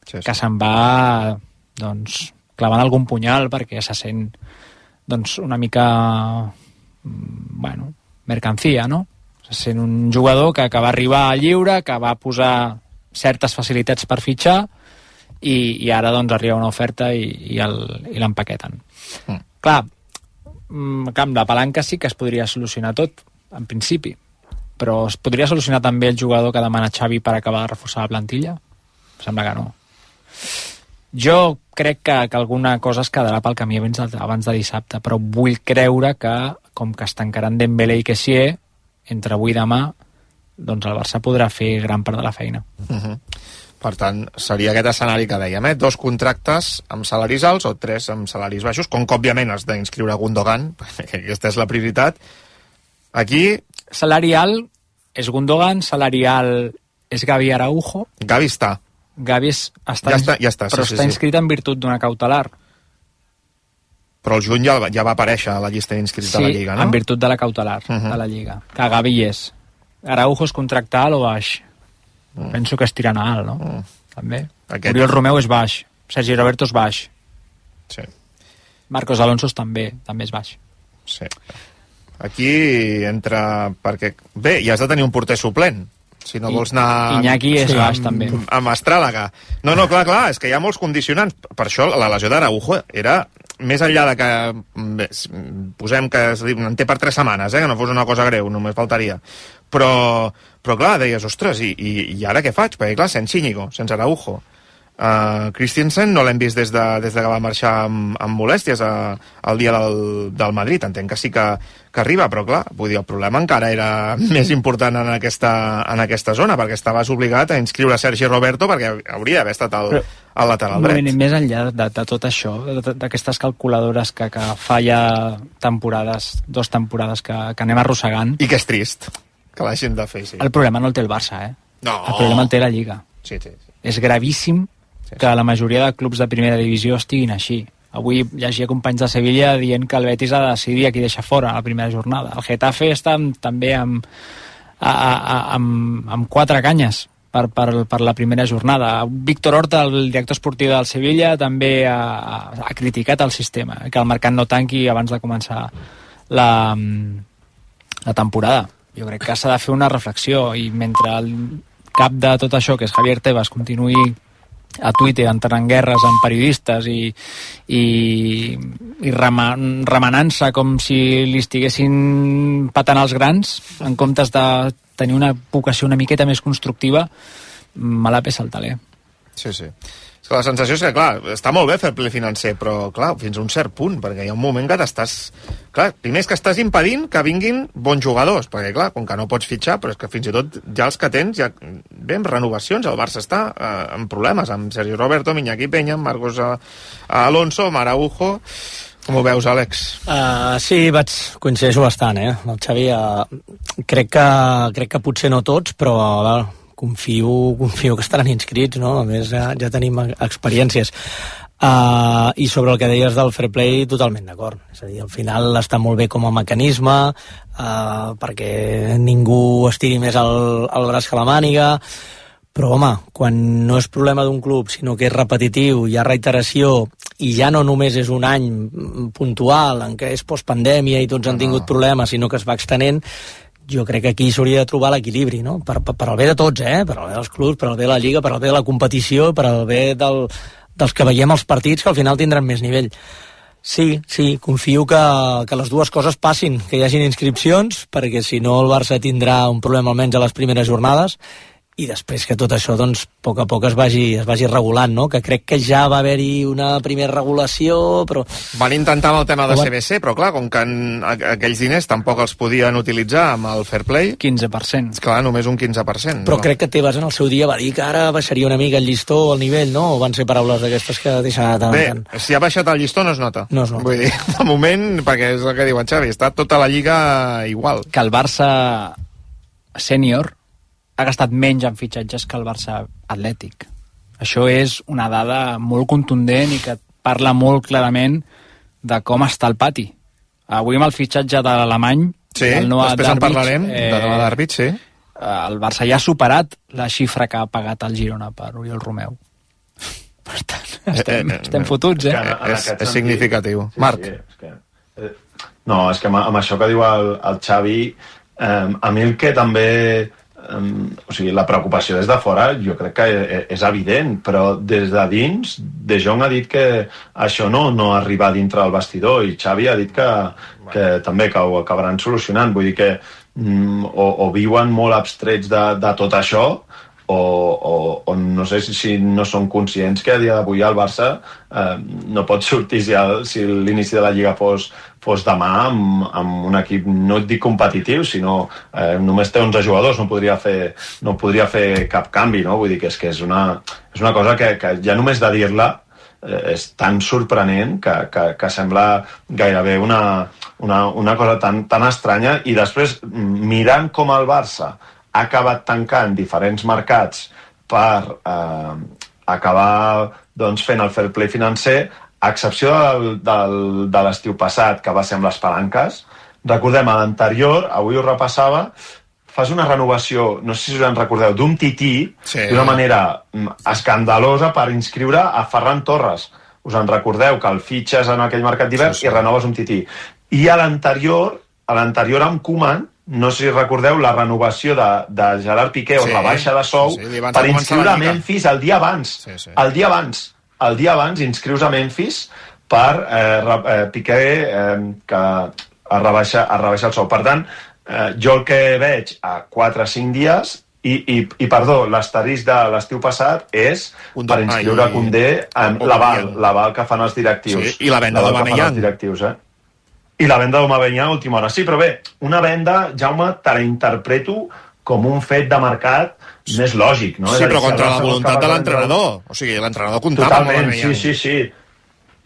sí, sí. que se'n va doncs, clavant algun punyal perquè se sent doncs, una mica bueno, mercancía, no? Se sent un jugador que, que va arribar a lliure, que va posar certes facilitats per fitxar i, i ara doncs arriba una oferta i, i, el, i l'empaqueten. Mm. Clar, amb la palanca sí que es podria solucionar tot, en principi, però es podria solucionar també el jugador que demana Xavi per acabar de reforçar la plantilla? Sembla que no. Jo crec que, que alguna cosa es quedarà pel camí abans de, abans de dissabte, però vull creure que, com que es tancaran Dembélé i Kessié, entre avui i demà, doncs el Barça podrà fer gran part de la feina. Uh-huh. Per tant, seria aquest escenari que dèiem, eh? Dos contractes amb salaris alts o tres amb salaris baixos, com que òbviament has d'inscriure Gundogan, perquè aquesta és la prioritat. Aquí... Salari alt és Gundogan, salari alt és Gavi Araujo. Gavi està. Gavi és, està, ja està, ja està, però sí, està sí, inscrit sí. en virtut d'una cautelar. Però el juny ja, ja va aparèixer a la llista d'inscrits sí, de la Lliga, no? Sí, en virtut de la cautelar uh-huh. de la Lliga. Que Gavi és. Araujo és contracte alt o baix? Uh-huh. Penso que és tirant a alt, no? Uh-huh. També. Aquest... Oriol Romeu és baix. Sergi Roberto és baix. Sí. Marcos Alonso també, també és baix. Sí. Aquí entra... perquè bé, ja has de tenir un porter suplent. Si no I, vols anar... Iñaki és sí, baix, amb, també. Amb Astràlaga. No, no, clar, clar, és que hi ha molts condicionants. Per això la lesió d'Araujo era... Més enllà de que bé, posem que en té per tres setmanes, eh, que no fos una cosa greu, només faltaria. Però, però clar, deies, ostres, i, i, i ara què faig? Perquè clar, sense Íñigo, sense Araujo. Uh, Christensen no l'hem vist des de, des de que va marxar amb, amb molèsties a, al dia del, del Madrid. Entenc que sí que, que arriba, però clar, vull dir, el problema encara era més important en aquesta, en aquesta zona, perquè estaves obligat a inscriure Sergi Roberto perquè hauria d'haver estat el, el lateral dret. Més enllà de, de tot això, d'aquestes calculadores que, que fa ja temporades, dos temporades que, que anem arrossegant... I que és trist que l'hagin de fer, sí. El problema no el té el Barça, eh? No. El problema el té la Lliga. Sí, sí, sí. És gravíssim que la majoria de clubs de primera divisió estiguin així. Avui llegia companys de Sevilla dient que el Betis ha de decidir a qui deixa fora a la primera jornada. El Getafe està amb, també amb, a, a, amb, amb quatre canyes per, per, per la primera jornada. Víctor Horta, el director esportiu del Sevilla, també ha, ha criticat el sistema, que el mercat no tanqui abans de començar la, la temporada. Jo crec que s'ha de fer una reflexió, i mentre el cap de tot això, que és Javier Tebas, continuï a Twitter entrant en guerres amb periodistes i, i, i rema, remenant-se com si li estiguessin patant els grans en comptes de tenir una vocació una miqueta més constructiva, me la pesa el taler. Sí, sí. És que la sensació és que, clar, està molt bé fer ple financer, però, clar, fins a un cert punt, perquè hi ha un moment que t'estàs... Clar, primer és que estàs impedint que vinguin bons jugadors, perquè, clar, com que no pots fitxar, però és que fins i tot ja els que tens, ja bé, amb renovacions, el Barça està eh, amb problemes, amb Sergi Roberto, Iñaki Peña, Marcos Alonso, Maraujo... Com ho veus, Àlex? Uh, sí, vaig, coincideixo bastant, eh? El Xavi, uh, crec, que, crec que potser no tots, però uh, confio, confio que estaran inscrits, no? A més, ja, ja tenim experiències. Uh, I sobre el que deies del fair play, totalment d'acord. És a dir, al final està molt bé com a mecanisme, uh, perquè ningú estiri més el, el braç que la màniga, però, home, quan no és problema d'un club, sinó que és repetitiu, hi ha reiteració, i ja no només és un any puntual en què és postpandèmia i tots han tingut problemes, sinó que es va extenent, jo crec que aquí s'hauria de trobar l'equilibri, no? Per, per, per al bé de tots, eh? Per al bé dels clubs, per al bé de la Lliga, per al bé de la competició, per al bé del, dels que veiem els partits, que al final tindran més nivell. Sí, sí, confio que, que les dues coses passin, que hi hagin inscripcions, perquè si no el Barça tindrà un problema almenys a les primeres jornades, i després que tot això, doncs, a poc a poc es vagi, es vagi regulant, no? Que crec que ja va haver-hi una primera regulació, però... Van intentar amb el tema de C B C, però clar, com que en, aquells diners tampoc els podien utilitzar amb el fair play... quinze per cent. Clar, només un quinze per cent. Però no? Crec que Tebas en el seu dia va dir que ara baixaria una mica el llistó, el nivell, no? O van ser paraules d'aquestes que deixen anar Bé, tant. si ha baixat el llistó no es nota. No es nota. Vull dir, de moment, perquè és el que diu en Xavi, està tota la Lliga igual. Que el Barça sènior ha gastat menys en fitxatges que el Barça atlètic. Això és una dada molt contundent i que parla molt clarament de com està el pati. Avui amb el fitxatge de l'alemany, sí, el Noah després Darbic, en parlarem, eh, de Noah Darbic, sí. El Barça ja ha superat la xifra que ha pagat el Girona per Oriol Romeu. Per tant, estem, eh, eh, estem fotuts, eh? En, en és, és significatiu. Sí, Marc. Sí, és que, eh, no, és que amb, amb això que diu el, el Xavi, eh, a mi el que també... Um, o sigui, la preocupació des de fora jo crec que és evident, però des de dins De Jong ha dit que això no, no arriba dintre del vestidor, i Xavi ha dit que, que també que ho acabaran solucionant. Vull dir que um, o, o viuen molt abstrets de, de tot això, o, o, o no sé si, si no són conscients que a dia d'avui el Barça eh, no pot sortir si, el, si l'inici de la Lliga fos, fos demà amb, amb un equip, no et dic competitiu, sinó eh, només té onze jugadors, no podria fer, no podria fer cap canvi, no? Vull dir que és, que és, una, és una cosa que, que ja només de dir-la eh, és tan sorprenent que, que, que sembla gairebé una, una, una cosa tan, tan estranya, i després mirant com el Barça ha acabat tancant diferents mercats per eh, acabar doncs, fent el fair play financer, a excepció del, del, de l'estiu passat, que va ser amb les palanques. Recordem, a l'anterior, avui ho repassava, fas una renovació, no sé si us en recordeu, d'un tití, sí, d'una manera escandalosa per inscriure a Ferran Torres. Us en recordeu que el fitxes en aquell mercat d'hivern, sí, sí, i renoves un tití. I a l'anterior, a l'anterior amb Koeman, no sé si recordeu la renovació de, de Gerard Piqué, sí, o la baixa de sou, sí, per inscriure a Memphis el dia abans. Sí, sí. El dia abans. El dia abans inscrius a Memphis per eh, eh, Piqué eh, que a rebaixar, a rebaixar el sou. Per tant, eh, jo el que veig a quatre o cinc dies, i, i, i perdó, l'asterisc de l'estiu passat és per inscriure a Koundé en l'aval, l'aval que fan els directius. Sí, i la venda d'Aubameyang. Eh? I la venda d'Aubameyang a última hora. Sí, però bé, una venda, Jaume, te la interpreto com un fet de mercat més lògic, no? Sí, però contra la voluntat de l'entrenador. O sigui, l'entrenador comptava amb Aubameyang. Sí, sí, sí.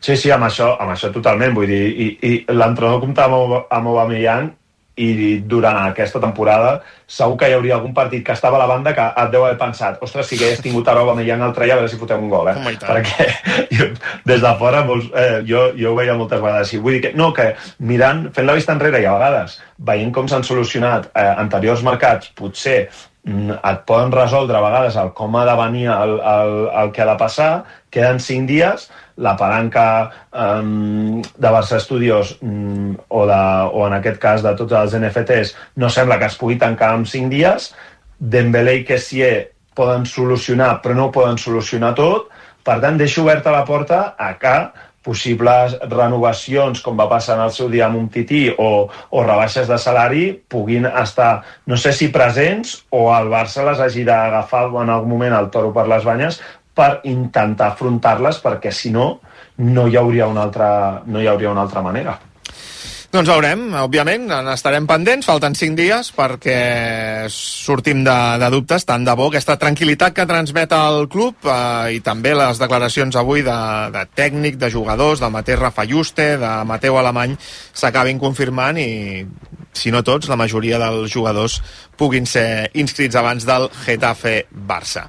Sí, sí, amb això, amb això totalment, vull dir, i, i l'entrenador comptava amb Aubameyang, i durant aquesta temporada segur que hi hauria algun partit que estava a la banda que et deu haver pensat, ostres, si hagués tingut ara Aubameyang al treia, a veure si fotem un gol, eh? Oh, perquè jo, des de fora molts, eh, jo, jo ho veia moltes vegades així. Vull dir que, no, que mirant, fent la vista enrere, i a vegades veient com s'han solucionat eh, anteriors mercats, potser et poden resoldre a vegades el com ha de venir el, el, el que ha de passar, queden cinc dies, la palanca um, de Barça Studios um, o, de, o en aquest cas de tots els N F Ts no sembla que es pugui tancar en cinc dies. Dembélé i Kessié poden solucionar, però no poden solucionar tot. Per tant, deixo oberta la porta a que possibles renovacions, com va passar en el seu dia amb un tití, o, o rebaixes de salari, puguin estar, no sé si presents, o el Barça les hagi d'agafar en algun moment el toro per les banyes per intentar afrontar-les, perquè si no, no hi hauria una altra, no hi hauria una altra manera. Doncs veurem, òbviament, n'estarem pendents, falten cinc dies perquè sortim de, de dubtes, tant de bo aquesta tranquil·litat que transmet el club eh, i també les declaracions avui de, de tècnic, de jugadors, del mateix Rafa Juste, de Mateu Alemany, s'acabin confirmant i, si no tots, la majoria dels jugadors puguin ser inscrits abans del Getafe Barça.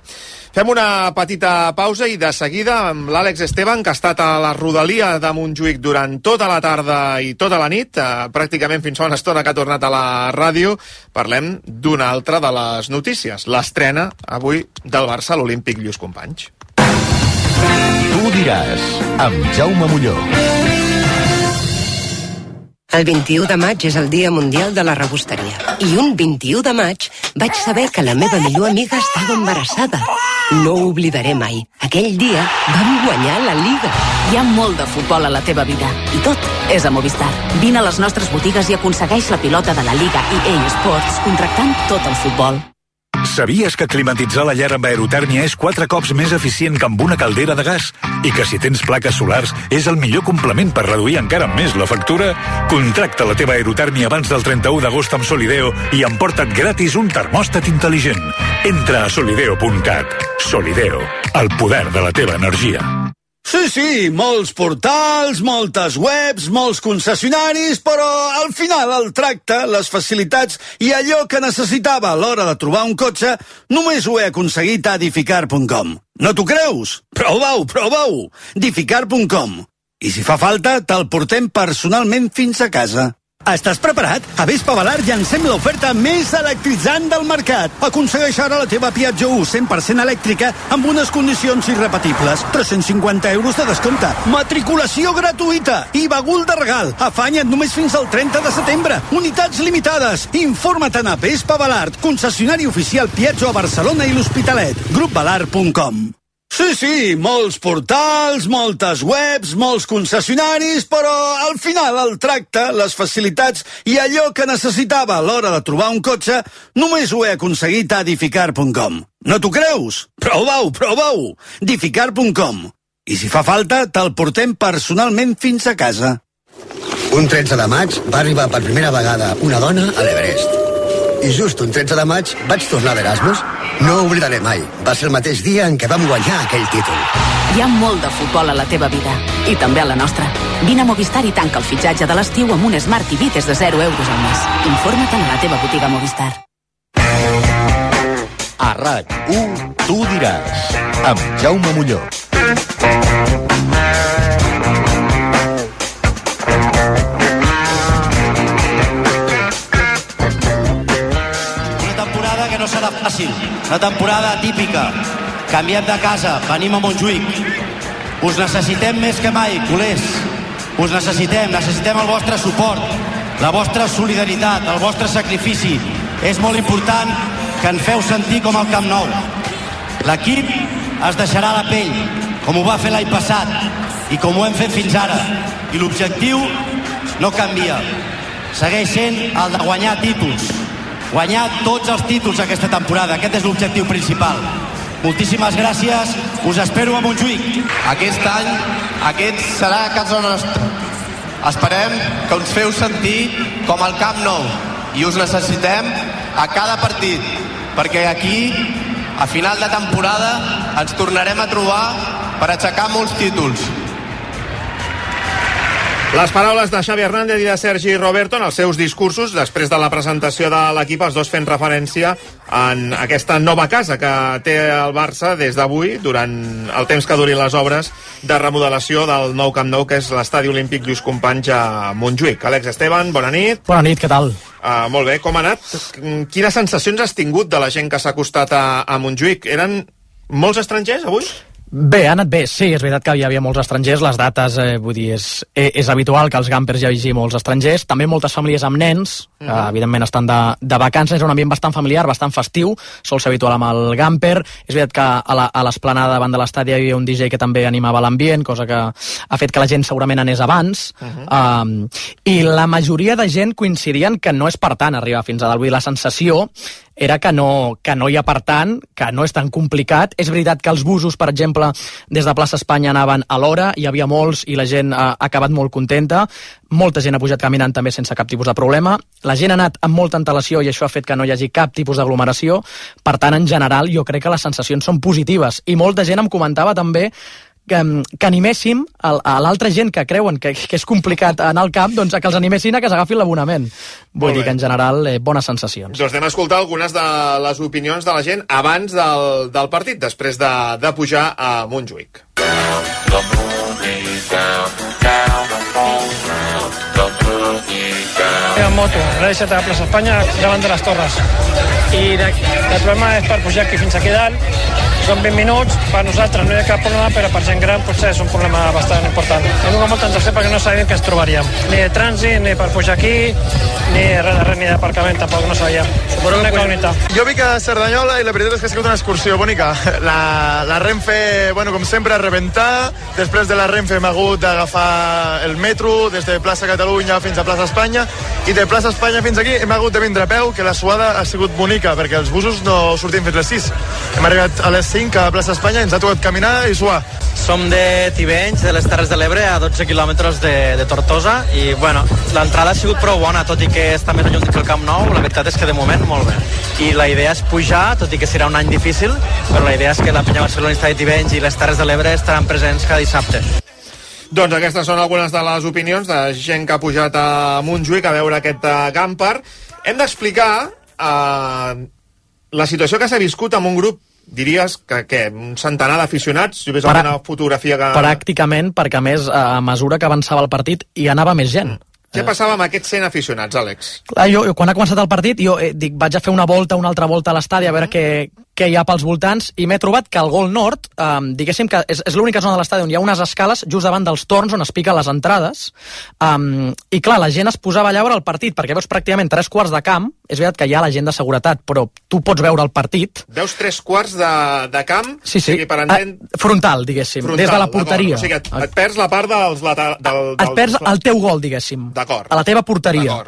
Fem una petita pausa i de seguida amb l'Àlex Esteban, que ha estat a la rodalia de Montjuïc durant tota la tarda i tota la nit, eh, pràcticament fins fa una estona que ha tornat a la ràdio. Parlem d'una altra de les notícies, l'estrena avui del Barça a l'Olímpic Lluís Companys. Tu diràs, amb Jaume Molló. El vint-i-u de maig és el Dia Mundial de la Rebosteria. I un vint-i-u de maig vaig saber que la meva millor amiga estava embarassada. No ho oblidaré mai. Aquell dia vam guanyar la Liga. Hi ha molt de futbol a la teva vida i tot és a Movistar. Vine a les nostres botigues i aconsegueix la pilota de la Liga E A Sports contractant tot el futbol. Sabies que climatitzar la llar amb aerotèrmia és quatre cops més eficient que amb una caldera de gas? I que si tens plaques solars és el millor complement per reduir encara més la factura? Contracta la teva aerotèrmia abans del trenta-u d'agost amb Solideo i emporta't gratis un termòstat intel·ligent. Entra a solideo punt cat. Solideo, el poder de la teva energia. Sí, sí, molts portals, moltes webs, molts concessionaris, però al final el tracte, les facilitats i allò que necessitava a l'hora de trobar un cotxe només ho he aconseguit a Dificar punt com. No t'ho creus? Prova-ho, prova-ho! Dificar punt com. I si fa falta, te'l portem personalment fins a casa. Estàs preparat? A Vespa Valar llancem l'oferta més electritzant del mercat. Aconsegueix ara la teva Piaggio u cent per cent elèctrica amb unes condicions irrepetibles. tres-cents cinquanta euros de descompte. Matriculació gratuïta. I bagul de regal. Afanya't només fins al trenta de setembre. Unitats limitades. Informa't a Vespa Valar, concessionari oficial Piaggio a Barcelona i l'Hospitalet. grup valar punt com. Sí, sí, molts portals, moltes webs, molts concessionaris, però al final el tracte, les facilitats i allò que necessitava a l'hora de trobar un cotxe només ho he aconseguit a Dificar punt com. No t'ho creus? Prova-ho, prova-ho! Dificar punt com. I si fa falta, te'l portem personalment fins a casa. Un tretze de maig va arribar per primera vegada una dona a l'Everest. I just un tretze de maig vaig tornar d'Erasmus. No ho oblidaré mai. Va ser el mateix dia en què vam guanyar aquell títol. Hi ha molt de futbol a la teva vida i també a la nostra. Vine a Movistar i tanca el fitxatge de l'estiu amb un Smart T V des de zero euros al mes. Informa't a la teva botiga Movistar. A RAC u, tu diràs, amb Jaume Molló. No serà fàcil, una temporada típica. Canviem de casa, venim a Montjuïc. Us necessitem més que mai, culers. Us necessitem, necessitem el vostre suport, la vostra solidaritat, el vostre sacrifici. És molt important que ens feu sentir com al Camp Nou. L'equip es deixarà la pell, com ho va fer l'any passat i com ho hem fet fins ara. I l'objectiu no canvia. Segueix sent el de guanyar títols. Guanyar tots els títols aquesta temporada. Aquest és l'objectiu principal. Moltíssimes gràcies. Us espero a Montjuïc. Aquest any, aquest serà a casa nostra. Esperem que us feu sentir com al Camp Nou i us necessitem a cada partit, perquè aquí, a final de temporada, ens tornarem a trobar per aixecar molts títols. Les paraules de Xavi Hernández i de Sergi Roberto en els seus discursos després de la presentació de l'equip, els dos fent referència en aquesta nova casa que té el Barça des d'avui, durant el temps que durin les obres de remodelació del nou Camp Nou, que és l'estadi olímpic Lluís Companys a Montjuïc. Àlex Esteban, bona nit. Bona nit, què tal? Uh, molt bé, com ha anat? Quines sensacions has tingut de la gent que s'ha acostat a, a Montjuïc? Eren molts estrangers avui? Bé, ha anat bé, sí, és veritat que hi havia molts estrangers, les dates, eh, vull dir, és, és habitual que als Gampers hi hagi molts estrangers, també moltes famílies amb nens, que uh -huh. evidentment estan de, de vacances, és un ambient bastant familiar, bastant festiu, sol ser habitual amb el Gamper, és veritat que a l'esplanada davant de l'estadi hi havia un D J que també animava l'ambient, cosa que ha fet que la gent segurament anés abans, uh -huh. um, i la majoria de gent coincidien que no és per tant arribar fins a dalt, vull dir, la sensació era que no, que no hi ha per tant, que no és tan complicat. És veritat que els busos, per exemple, des de Plaça Espanya anaven a l'hora, hi havia molts i la gent ha acabat molt contenta. Molta gent ha pujat caminant també sense cap tipus de problema. La gent ha anat amb molta antelació i això ha fet que no hi hagi cap tipus d'aglomeració. Per tant, en general, jo crec que les sensacions són positives. I molta gent em comentava també que, que animéssim a, a l'altra gent que creuen que, que és complicat anar al camp, doncs a que els animessin a que s'agafin l'abonament. Vull dir que en general eh, bones sensacions. Doncs anem a escoltar algunes de les opinions de la gent abans del, del partit, després de, de pujar a Montjuïc. En moto, l'he deixat a la plaça Espanya davant de les Torres i de, el problema és per pujar aquí fins aquí dalt, són vint minuts, per nosaltres no hi ha cap problema, però per gent gran potser és un problema bastant important. Hem tingut molta ansiació perquè no sabíem què ens trobaríem, ni de trànsit, ni per pujar aquí, ni res de res, ni d'aparcament, tampoc no sabíem. Suposo una incògnita. Jo vic a Cerdanyola i la veritat és que ha sigut una excursió bonica. La, la Renfe, bueno, com sempre, a rebentar. Després de la Renfe hem hagut d'agafar el metro des de plaça Catalunya fins a plaça Espanya i de plaça Espanya fins aquí hem hagut de vindre a peu, que la suada ha sigut bonica perquè els busos no sortim fins les sis. Hem arribat a les cinc a plaça Espanya i ens ha tocat caminar i suar. Som de Tivenys, de les Terres de l'Ebre, a dotze quilòmetres de, de Tortosa, i bueno, l'entrada ha sigut prou bona, tot i que està més lluny que el Camp Nou. La veritat és que de moment molt bé. I la idea és pujar, tot i que serà un any difícil, però la idea és que la penya barcelonista de Tivenys i les Terres de l'Ebre estaran presents cada dissabte. Doncs aquestes són algunes de les opinions de gent que ha pujat a Montjuïc a veure aquest Gamper. Hem d'explicar eh, la situació que s'ha viscut amb un grup, diries que, que un centenar d'aficionats, si ves Pra... alguna fotografia que... Pràcticament, perquè a més, a mesura que avançava el partit, hi anava més gent. Mm. Què passava amb aquests cent aficionats, Àlex? Clar, jo, quan ha començat el partit, jo eh, dic, vaig a fer una volta, una altra volta a l'estadi a veure què, què hi ha pels voltants, i m'he trobat que el Gol Nord, eh, diguéssim que és, és l'única zona de l'estadi on hi ha unes escales just davant dels torns on es piquen les entrades, um, i clar, la gent es posava allà a veure el partit, perquè veus pràcticament tres quarts de camp. És veritat que hi ha la gent de seguretat, però tu pots veure el partit. Veus tres quarts de, de camp? Sí, sí, o sigui, per entend... ah, frontal, diguéssim, frontal, des de la porteria. O sigui, et, et perds la part dels... Del, del, et perds el teu gol, diguéssim, d'acord, a la teva porteria.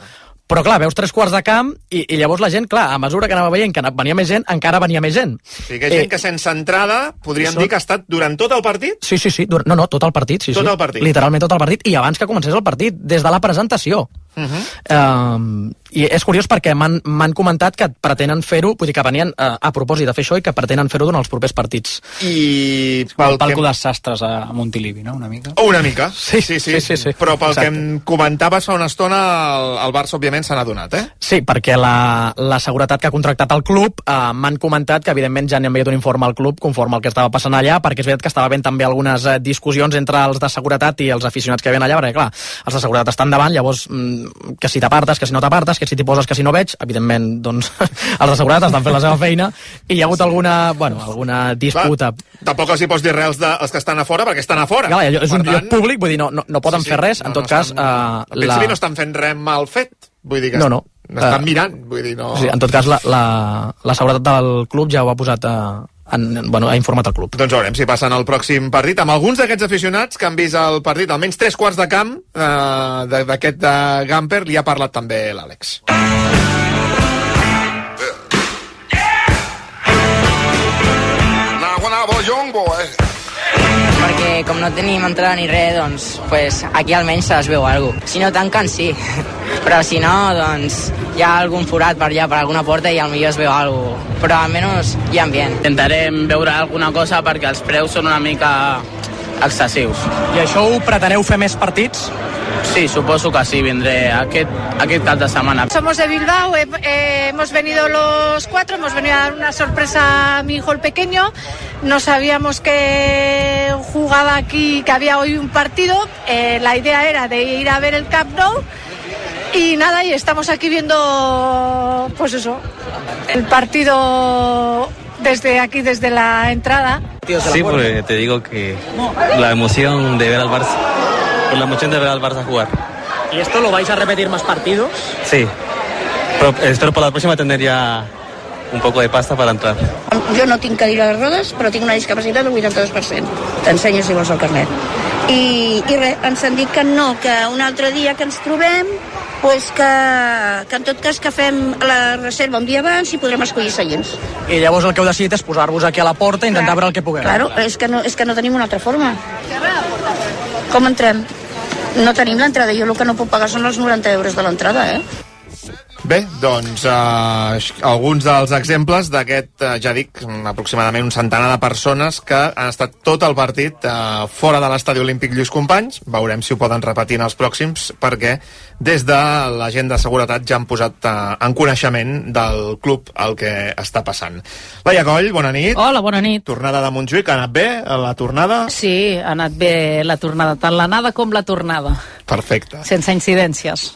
Però clar, veus tres quarts de camp i, i llavors la gent, clar, a mesura que anava veient que venia més gent, encara venia més gent. O sigui, que hi ha gent eh, que sense entrada podríem això... dir que ha estat durant tot el partit? Sí, sí, sí, no, no, tot el partit, sí, tot sí. el partit. Literalment tot el partit, i abans que comencés el partit, des de la presentació. Uh -huh. um, i és curiós perquè m'han comentat que pretenen fer-ho, vull dir que venien uh, a propòsit de fer això i que pretenen fer-ho durant els propers partits. I pel palco que... de sastres a Montilivi, no? Una mica? O una mica, sí, sí, sí, sí, sí, sí. Però pel Exacte. que em comentaves fa una estona, el, el Barça òbviament s'ha adonat, eh? Sí, perquè la, la seguretat que ha contractat el club uh, m'han comentat que evidentment ja n'hi ha enviat un informe al club conforme al que estava passant allà, perquè és veritat que estava havent també algunes uh, discussions entre els de seguretat i els aficionats que hi havia allà, perquè clar, els de seguretat estan davant, llavors mm, que si t'apartes, que si no t'apartes, que si t'hi poses, que si no veig, evidentment, doncs, els de seguretat estan fent la seva feina i hi ha hagut alguna, bueno, alguna disputa. Clar, tampoc els hi pots dir res als, de, els que estan a fora, perquè estan a fora. Clar, és un tant... lloc públic, vull dir, no, no, no poden sí, sí, fer res, no, en tot no cas... Estan, uh, al principi la... no estan fent res mal fet, vull dir que no, no. estan uh, mirant, vull dir, no... Sí, en tot cas, la, la, la seguretat del club ja ho ha posat a... En, bueno, ha informat el club. Doncs veurem si passen el pròxim partit amb alguns d'aquests aficionats que han vist el partit, almenys tres quarts de camp eh, d'aquest de Gamper, li ha parlat també l'Àlex. Perquè com no tenim entrada ni res, doncs pues, aquí almenys es veu alguna cosa. Si no tanquen, sí. Però si no, doncs hi ha algun forat per allà, per alguna porta, i potser es veu alguna cosa. Però almenys hi ha ambient. Intentarem veure alguna cosa perquè els preus són una mica excessius. I això ho preteneu fer més partits? Sí, suposo que sí, vendré aquest, aquest cap de setmana. Somos de Bilbao, eh, eh, hemos venido los cuatro, hemos venido a dar una sorpresa a mi hijo el pequeño. No sabíamos que jugaba aquí, que había hoy un partido. Eh, la idea era de ir a ver el Camp Nou. Y nada, y estamos aquí viendo, pues eso, el partido desde aquí, desde la entrada. Sí, porque te digo que la emoción de ver al Barça, por la emoción de ver al Barça jugar. ¿Y esto lo vais a repetir más partidos? Sí, pero espero por la próxima tener ya un poco de pasta para entrar. Jo no tinc cadira de rodes, però tinc una discapacitat del vuitanta-dos per cent. T'ensenyo si vols el carnet. I, i res, ens han dit que no, que un altre dia que ens trobem, pues que, que en tot cas que fem la reserva un dia abans i podrem escollir seients. I llavors el que heu decidit és posar-vos aquí a la porta i intentar veure el que puguem. Claro, és que, no, és que no tenim una altra forma. Com entrem? No tenim l'entrada. Jo el que no puc pagar són els noranta euros de l'entrada, eh? Bé, doncs eh, alguns dels exemples d'aquest, eh, ja dic, aproximadament un centenar de persones que han estat tot el partit eh, fora de l'estadi olímpic Lluís Companys. Veurem si ho poden repetir en els pròxims, perquè des de la gent de seguretat ja han posat eh, en coneixement del club el que està passant. Laia Coll, bona nit. Hola, bona nit. Tornada de Montjuïc, ha anat bé la tornada? Sí, ha anat bé la tornada, tant l'anada com la tornada. Perfecte. Sense incidències.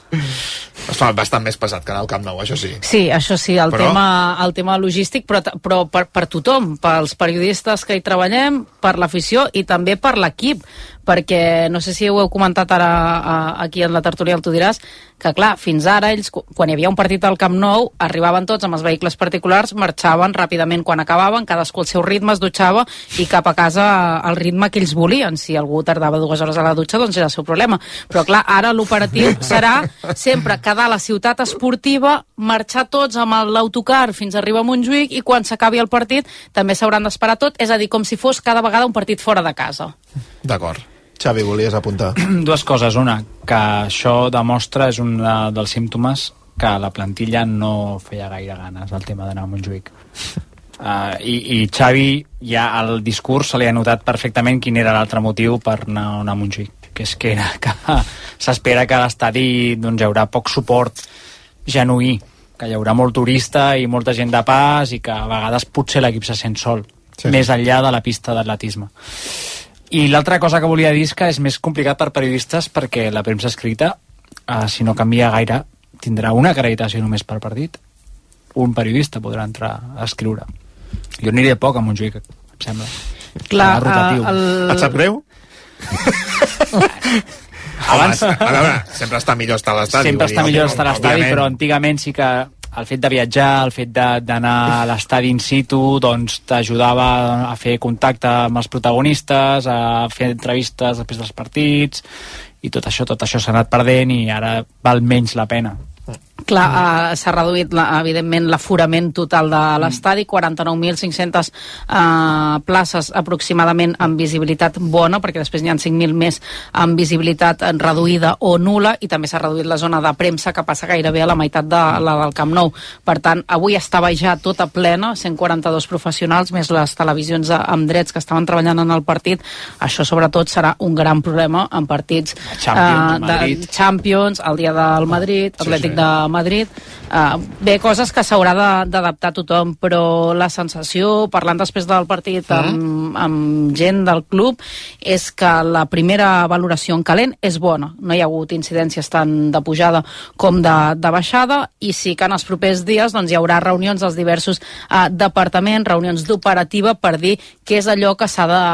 Es fa bastant més pesat que anar al Camp Nou, això sí. Sí, això sí, el, però... tema, el tema logístic, però, però per, per tothom, pels periodistes que hi treballem, per l'afició i també per l'equip, perquè no sé si ho heu comentat ara a, aquí en la tertúlia, tu diràs, que clar, fins ara ells, quan hi havia un partit al Camp Nou, arribaven tots amb els vehicles particulars, marxaven ràpidament quan acabaven, cadascú al seu ritme, es dutxava i cap a casa al ritme que ells volien. Si algú tardava dues hores a la dutxa, doncs era el seu problema. Però clar, ara l'operatiu serà sempre quedar a la ciutat esportiva, marxar tots amb l'autocar fins a arribar a Montjuïc i quan s'acabi el partit també s'hauran d'esperar tot, és a dir, com si fos cada vegada un partit fora de casa. D'acord. Xavi, volies apuntar? Dues coses. Una, que això demostra, és un dels símptomes que la plantilla no feia gaire ganes al tema d'anar a Montjuïc. Uh, i, I Xavi, ja al discurs se li ha notat perfectament quin era l'altre motiu per anar, anar a Montjuïc, que és que, era que s'espera que a l'estadi doncs, hi haurà poc suport genuí, que hi haurà molt turista i molta gent de pas i que a vegades potser l'equip se sent sol, sí, més enllà de la pista d'atletisme. I l'altra cosa que volia dir és que és més complicat per periodistes perquè la premsa escrita, eh, si no canvia gaire, tindrà una acreditació només per partit. Un periodista podrà entrar a escriure. Jo aniré poc a Montjuïc, em sembla. Clar, uh, el... Et sap greu? Abans... A veure, sempre està millor estar a l'estadi. Sempre està millor estar a l'estadi, però antigament sí que el fet de viatjar, el fet d'anar a l'estadi in situ, doncs t'ajudava a fer contacte amb els protagonistes, a fer entrevistes després dels partits, i tot això, tot això s'ha anat perdent i ara val menys la pena. Clar, uh, s'ha reduït la, evidentment l'aforament total de l'estadi, quaranta-nou mil cinc-centes uh, places aproximadament amb visibilitat bona, perquè després n'hi ha cinc mil més amb visibilitat reduïda o nula, i també s'ha reduït la zona de premsa, que passa gairebé a la meitat de la del Camp Nou. Per tant, avui estava ja tota plena, cent quaranta-dos professionals, més les televisions amb drets que estaven treballant en el partit. Això sobretot serà un gran problema en partits Champions, uh, de Champions, el dia del Madrid, Atlètic sí, sí. de Madrid. Uh, bé, coses que s'haurà d'adaptar tothom, però la sensació, parlant després del partit amb, amb gent del club, és que la primera valoració en calent és bona. No hi ha hagut incidències tant de pujada com de, de baixada, i sí que en els propers dies doncs, hi haurà reunions dels diversos uh, departaments, reunions d'operativa per dir què és allò que s'ha de,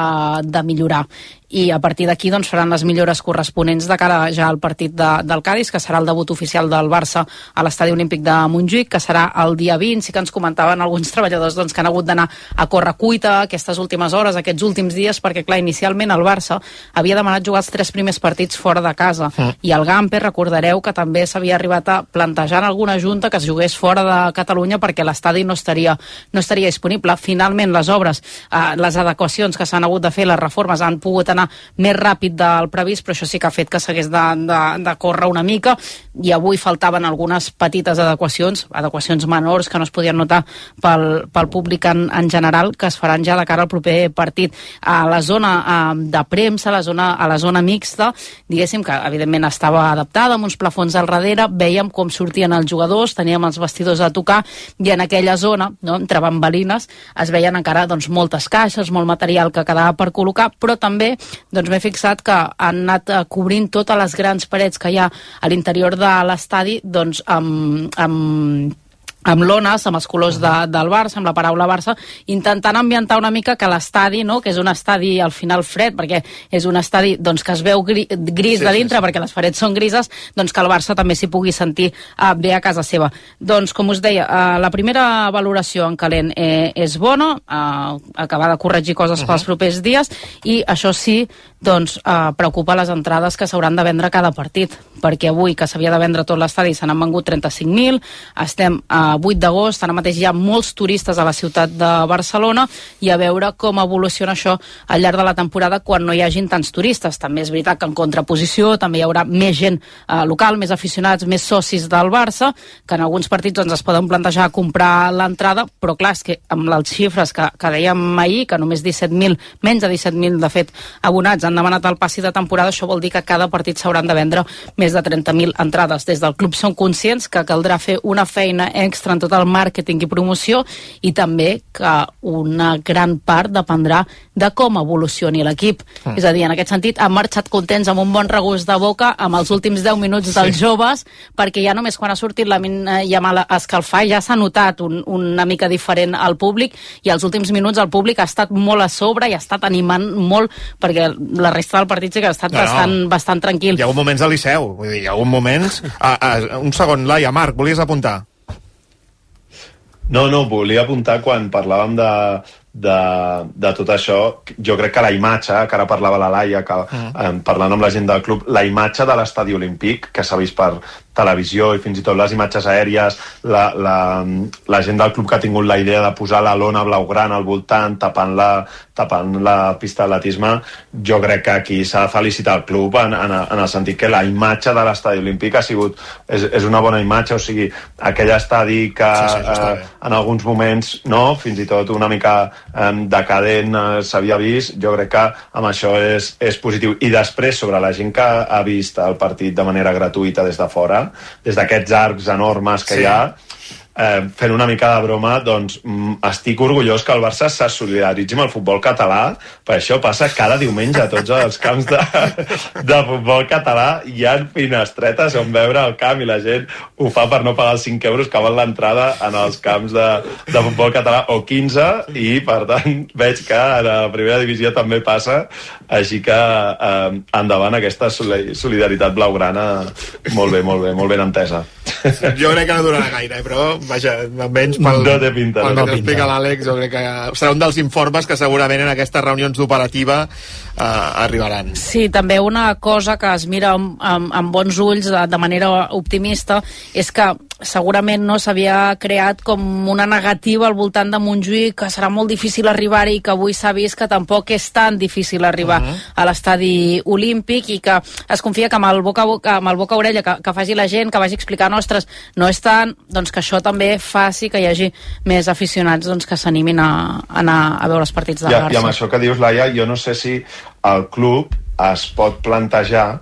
de millorar. I a partir d'aquí doncs, faran les millores corresponents de cara ja al partit de, del Cádiz, que serà el debut oficial del Barça a l'Estadi Olímpic de Montjuïc, que serà el dia vint. Sí que ens comentaven alguns treballadors doncs, que han hagut d'anar a córrer cuita aquestes últimes hores, aquests últims dies, perquè clar, inicialment el Barça havia demanat jugar els tres primers partits fora de casa, mm. i el Gamper, recordareu que també s'havia arribat a plantejar en alguna junta que es jugués fora de Catalunya perquè l'estadi no estaria, no estaria disponible. Finalment les obres, eh, les adequacions que s'han hagut de fer, les reformes han pogut anar anar més ràpid del previst, però això sí que ha fet que s'hagués de, de, de córrer una mica, i avui faltaven algunes petites adequacions, adequacions menors que no es podien notar pel, pel públic en, en general, que es faran ja de cara al proper partit. A la zona eh, de premsa, a la zona, a la zona mixta, diguéssim que evidentment estava adaptada, amb uns plafons al darrere, vèiem com sortien els jugadors, teníem els vestidors a tocar, i en aquella zona, no, entre bambalines, es veien encara doncs, moltes caixes, molt material que quedava per col·locar, però també doncs, m'he fixat que han anat eh, cobrint totes les grans parets que hi ha a l'interior de l'estadi doncs, amb, amb amb lones, amb els colors de, del Barça, amb la paraula Barça, intentant ambientar una mica que l'estadi, no?, que és un estadi al final fred, perquè és un estadi doncs, que es veu gri, gris sí, de dintre, sí, sí. perquè les parets són grises, doncs que el Barça també s'hi pugui sentir uh, bé a casa seva. Doncs, com us deia, uh, la primera valoració en calent eh, és bona, uh, acabar de corregir coses uh -huh. pels propers dies, i això sí, doncs, uh, preocupa les entrades que s'hauran de vendre cada partit, perquè avui, que s'havia de vendre tot l'estadi, se n'han vengut trenta-cinc mil, estem a vuit d'agost, ara mateix hi ha molts turistes a la ciutat de Barcelona, i a veure com evoluciona això al llarg de la temporada quan no hi hagin tants turistes. També és veritat que en contraposició també hi haurà més gent eh, local, més aficionats, més socis del Barça, que en alguns partits doncs, es poden plantejar comprar l'entrada, però clar, és que amb les xifres que, que dèiem ahir, que només disset mil, menys de disset mil de fet abonats han demanat el passi de temporada, això vol dir que cada partit s'hauran de vendre més de trenta mil entrades. Des del club són conscients que caldrà fer una feina extra en tot el màrqueting i promoció, i també que una gran part dependrà de com evolucioni l'equip. Mm. És a dir, en aquest sentit, han marxat contents amb un bon regust de boca amb els últims deu minuts dels sí. joves, perquè ja només quan ha sortit la Yamal a escalfar ja s'ha notat un, una mica diferent al públic, i els últims minuts el públic ha estat molt a sobre i ha estat animant molt, perquè la resta del partit sí que ha estat no, bastant, no. bastant tranquil. Hi ha hagut moments a Liceu, vull dir, hi ha hagut moments... A, a, un segon, Laia, Marc, volies apuntar? No, no, volia apuntar quan parlàvem de, de, de tot això. Jo crec que la imatge, que ara parlava la Laia, que, mm. eh, parlant amb la gent del club, la imatge de l'estadi olímpic, que s'ha vist per televisió i fins i tot les imatges aèries, la, la, la gent del club que ha tingut la idea de posar la lona blaugrana al voltant, tapant la, tapant la pista d'atletisme, jo crec que aquí s'ha de felicitar el club en, en, en el sentit que la imatge de l'estadi olímpic ha sigut, és, és una bona imatge, o sigui, aquell estadi que sí, sí, eh, en alguns moments, no, fins i tot una mica eh, decadent eh, s'havia vist, jo crec que amb això és, és positiu. I després, sobre la gent que ha vist el partit de manera gratuïta des de fora, des d'aquests arcs enormes que sí. hi ha, eh, fent una mica de broma, doncs mm, estic orgullós que el Barça se solidaritzi amb el futbol català, perquè això passa cada diumenge a tots els camps de, de futbol català. Hi ha finestretes on veure el camp i la gent ho fa per no pagar els cinc euros que val l'entrada en els camps de, de futbol català, o quinze, i per tant veig que a la primera divisió també passa, així que eh, endavant aquesta solidaritat blaugrana, molt bé, molt bé, molt ben entesa. Jo crec que no durarà gaire, però vaja, almenys pel, no té pinta, pel no que explica l'Àlex, jo crec que serà un dels informes que segurament en aquestes reunions d'operativa eh, arribaran. Sí, també una cosa que es mira amb, amb, amb bons ulls de, de manera optimista és que segurament no s'havia creat com una negativa al voltant de Montjuïc, que serà molt difícil arribar-hi, i que avui s'ha vist que tampoc és tan difícil arribar uh -huh. a l'estadi olímpic, i que es confia que amb el boca a boca, amb el boca a orella que, que faci la gent, que vagi explicant, ostres, no és tant, doncs que això també faci que hi hagi més aficionats doncs, que s'animin a, a anar a veure els partits del Barça. I amb això que dius, Laia, jo no sé si el club es pot plantejar,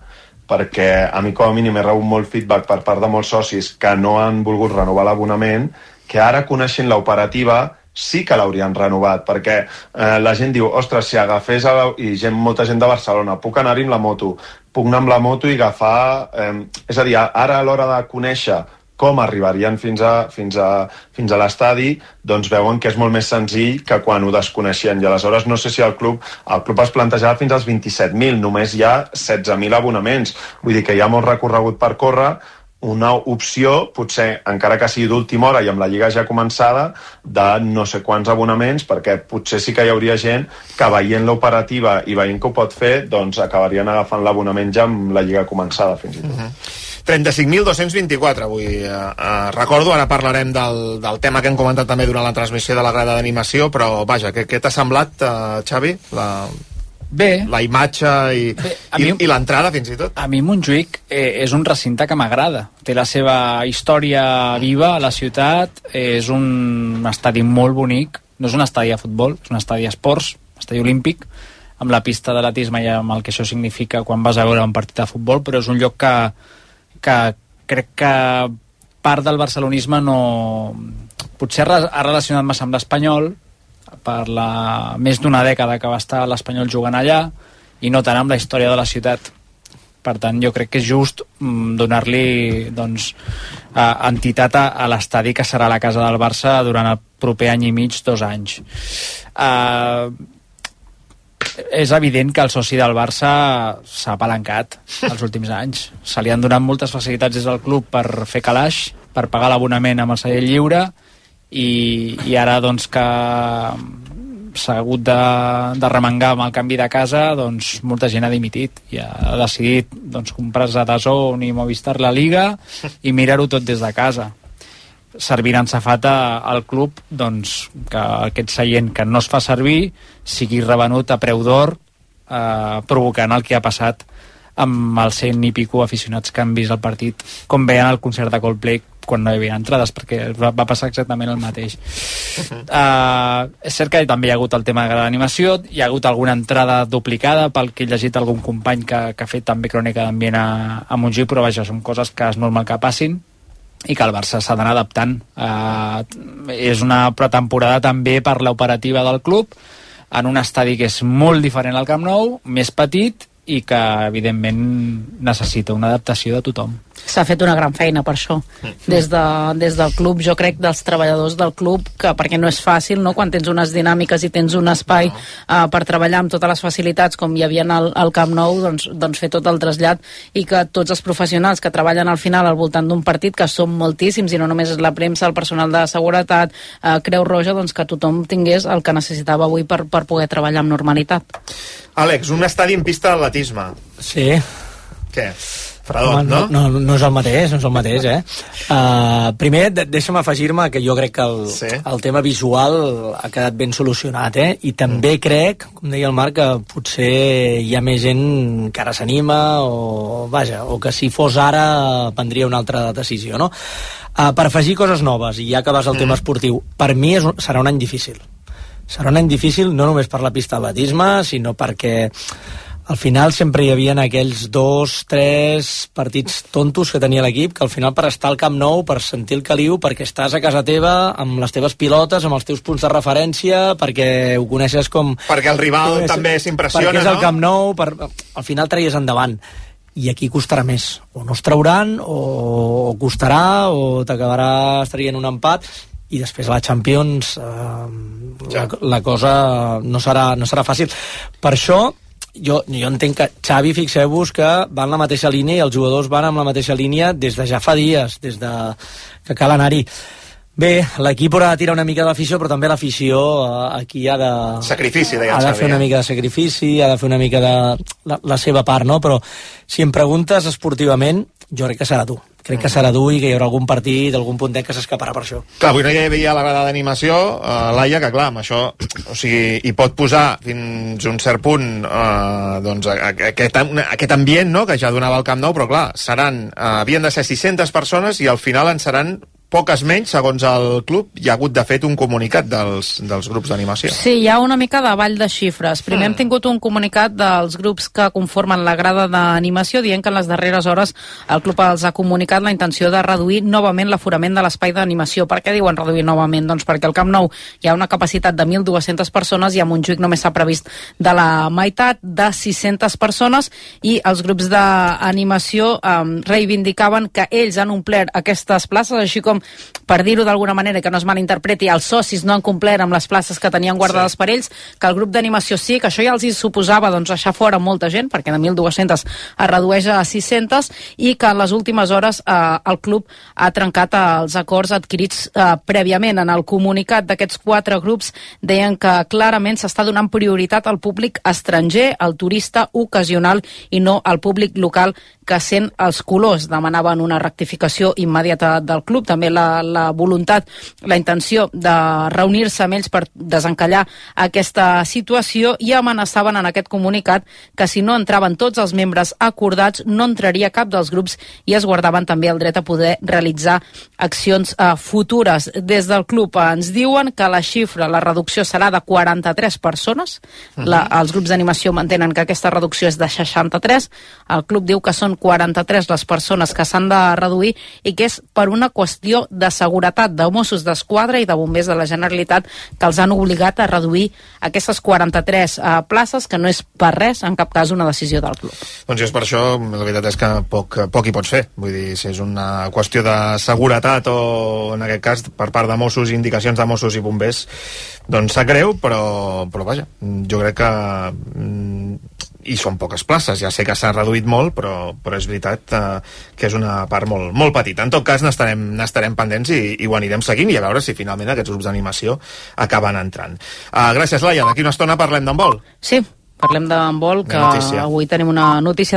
perquè a mi com a mínim he rebut molt feedback per part de molts socis que no han volgut renovar l'abonament, que ara coneixent l'operativa sí que l'haurien renovat, perquè eh, la gent diu, ostres, si agafés a la... i gent, molta gent de Barcelona, puc anar-hi amb la moto, puc anar amb la moto i agafar... Eh, és a dir, ara a l'hora de conèixer com arribarien fins a, fins a, fins a l'estadi, doncs veuen que és molt més senzill que quan ho desconeixien. I aleshores no sé si el club el club es plantejava fins als vint-i-set mil, només hi ha setze mil abonaments. Vull dir que hi ha molt recorregut per córrer. Una opció, potser, encara que sigui d'última hora i amb la lliga ja començada, de no sé quants abonaments, perquè potser sí que hi hauria gent que veient l'operativa i veient que ho pot fer, doncs acabarien agafant l'abonament ja amb la lliga començada, fins i tot. Uh-huh. trenta-cinc mil dos-cents vint-i-quatre avui. Eh, eh, recordo, ara parlarem del, del tema que hem comentat també durant la transmissió de la grada d'animació, però vaja, què, què t'ha semblat, eh, Xavi? La... Bé. La imatge i, Bé, i, mi, i l'entrada, fins i tot. A mi Montjuïc eh, és un recinte que m'agrada. Té la seva història viva a la ciutat, és un estadi molt bonic, no és un estadi de futbol, és un estadi d'esports, estadi olímpic, amb la pista d'atletisme i amb el que això significa quan vas a veure un partit de futbol, però és un lloc que, que crec que part del barcelonisme no... potser ha relacionat massa amb l'Espanyol, per la més d'una dècada que va estar l'Espanyol jugant allà, i no tant amb la història de la ciutat. Per tant, jo crec que és just mm, donar-li doncs, eh, entitat a, a l'estadi que serà la casa del Barça durant el proper any i mig, dos anys. Eh, és evident que el soci del Barça s'ha apalancat els últims anys. Se li han donat moltes facilitats des del club per fer calaix, per pagar l'abonament amb el celler lliure, i, i ara doncs que s'ha hagut de, de remengar amb el canvi de casa, doncs molta gent ha dimitit i ha decidit doncs, comprar-se D A Z N i Movistar la Liga i mirar-ho tot des de casa. Servir en safata al club doncs, que aquest seient que no es fa servir sigui revenut a preu d'or, eh, provocant el que ha passat amb els cent i pico aficionats que han vist el partit, com veien al concert de Coldplay quan no hi havia entrades, perquè va, va passar exactament el mateix. Uh, és cert que també hi ha hagut el tema de l'animació, hi ha hagut alguna entrada duplicada, pel que he llegit algun company que, que ha fet també crònica d'ambient a, a Montjuïc, però vaja, són coses que és normal que passin i que el Barça s'ha d'anar adaptant. Uh, és una pretemporada també per l'operativa del club, en un estadi que és molt diferent al Camp Nou, més petit, i que evidentment necessita una adaptació de tothom. S'ha fet una gran feina per això des, de, des del club, jo crec dels treballadors del club, que perquè no és fàcil, no? Quan tens unes dinàmiques i tens un espai uh, per treballar amb totes les facilitats com hi havia al, al Camp Nou, doncs, doncs fer tot el trasllat, i que tots els professionals que treballen al final al voltant d'un partit, que són moltíssims, i no només la premsa, el personal de seguretat, uh, Creu Roja, doncs que tothom tingués el que necessitava avui per, per poder treballar amb normalitat. Àlex, un estadi en pista d'atletisme. Sí. Què? Fredot, no? No, no, no és el mateix, no és el mateix, eh? Uh, primer, de, deixa'm afegir-me que jo crec que el, sí. el tema visual ha quedat ben solucionat, eh? I també mm. crec, com deia el Marc, que potser hi ha més gent que ara s'anima, o vaja, o que si fos ara prendria una altra decisió, no? Uh, per afegir coses noves, i ja que vas al mm. tema esportiu, per mi és, serà un any difícil. Serà un any difícil no només per la pista d'atletisme, sinó perquè al final sempre hi havia aquells dos, tres partits tontos que tenia l'equip, que al final per estar al Camp Nou, per sentir el caliu, perquè estàs a casa teva, amb les teves pilotes, amb els teus punts de referència, perquè ho coneixes com... Perquè el rival coneixes, també s'impressiona, no? Perquè és el Camp Nou, per, al final treies endavant. I aquí costarà més. O no es trauran, o, o costarà, o t'acabaràs traient un empat, i després a la Champions eh, ja. la, la cosa no serà, no serà fàcil. Per això jo, jo entenc que Xavi, fixeu-vos que va en la mateixa línia i els jugadors van en la mateixa línia des de ja fa dies, des de que cal anar-hi. Bé, l'equip haurà de tirar una mica de l'afició, però també l'afició eh, aquí ha de... Sacrifici, deia ha de Xavi. fer una mica de sacrifici, ha de fer una mica de la, la seva part, no? Però si em preguntes esportivament, jo crec que serà dur. Crec que serà dur i que hi haurà algun partit, algun puntet que s'escaparà per això. Clar, avui no hi havia la grada d'animació, eh, Laia, que clar, amb això, o sigui, hi pot posar fins un cert punt eh, doncs, aquest, aquest ambient, no?, que ja donava el Camp Nou, però clar, seran, eh, havien de ser sis-centes persones i al final en seran poques menys, segons el club. Hi ha hagut, de fet, un comunicat dels, dels grups d'animació. Sí, hi ha una mica de ball de xifres. Primer mm. hem tingut un comunicat dels grups que conformen la grada d'animació dient que en les darreres hores el club els ha comunicat la intenció de reduir novament l'aforament de l'espai d'animació. Per què diuen reduir novament? Doncs perquè al Camp Nou hi ha una capacitat de mil dues-centes persones i a Montjuïc només s'ha previst de la meitat, de sis-centes persones, i els grups d'animació eh, reivindicaven que ells han omplert aquestes places, així com, per dir-ho d'alguna manera, que no es malinterpreti, els socis no han complert amb les places que tenien guardades sí. per ells, que el grup d'animació sí, que això ja els hi suposava doncs, deixar fora molta gent, perquè de mil dues-centes es redueix a sis-centes, i que en les últimes hores eh, el club ha trencat els acords adquirits eh, prèviament. En el comunicat d'aquests quatre grups deien que clarament s'està donant prioritat al públic estranger, al turista ocasional, i no al públic local que sent els colors. Demanaven una rectificació immediata del club. També també la, la voluntat, la intenció de reunir-se amb ells per desencallar aquesta situació, i amenaçaven en aquest comunicat que si no entraven tots els membres acordats no entraria cap dels grups, i es guardaven també el dret a poder realitzar accions eh, futures. Des del club eh, ens diuen que la xifra, la reducció serà de quaranta-tres persones. La, els grups d'animació mantenen que aquesta reducció és de seixanta-tres. El club diu que són quaranta-tres les persones que s'han de reduir i que és per una qüestió de seguretat de Mossos d'Esquadra i de bombers de la Generalitat, que els han obligat a reduir aquestes quaranta-tres eh, places, que no és per res, en cap cas, una decisió del club. Doncs és per això, la veritat és que poc, poc hi pots fer. Vull dir, si és una qüestió de seguretat o, en aquest cas, per part de Mossos, indicacions de Mossos i bombers, doncs sap greu, però, però vaja, jo crec que i són poques places, ja sé que s'ha reduït molt, però, però és veritat eh, que és una part molt, molt petita. En tot cas, n'estarem, n'estarem pendents i, i ho anirem seguint i a veure si finalment aquests grups d'animació acaben entrant. Uh, gràcies, Laia. D'aquí una estona parlem d'handbol. Sí, parlem d'handbol, que notícia. Avui tenim una notícia de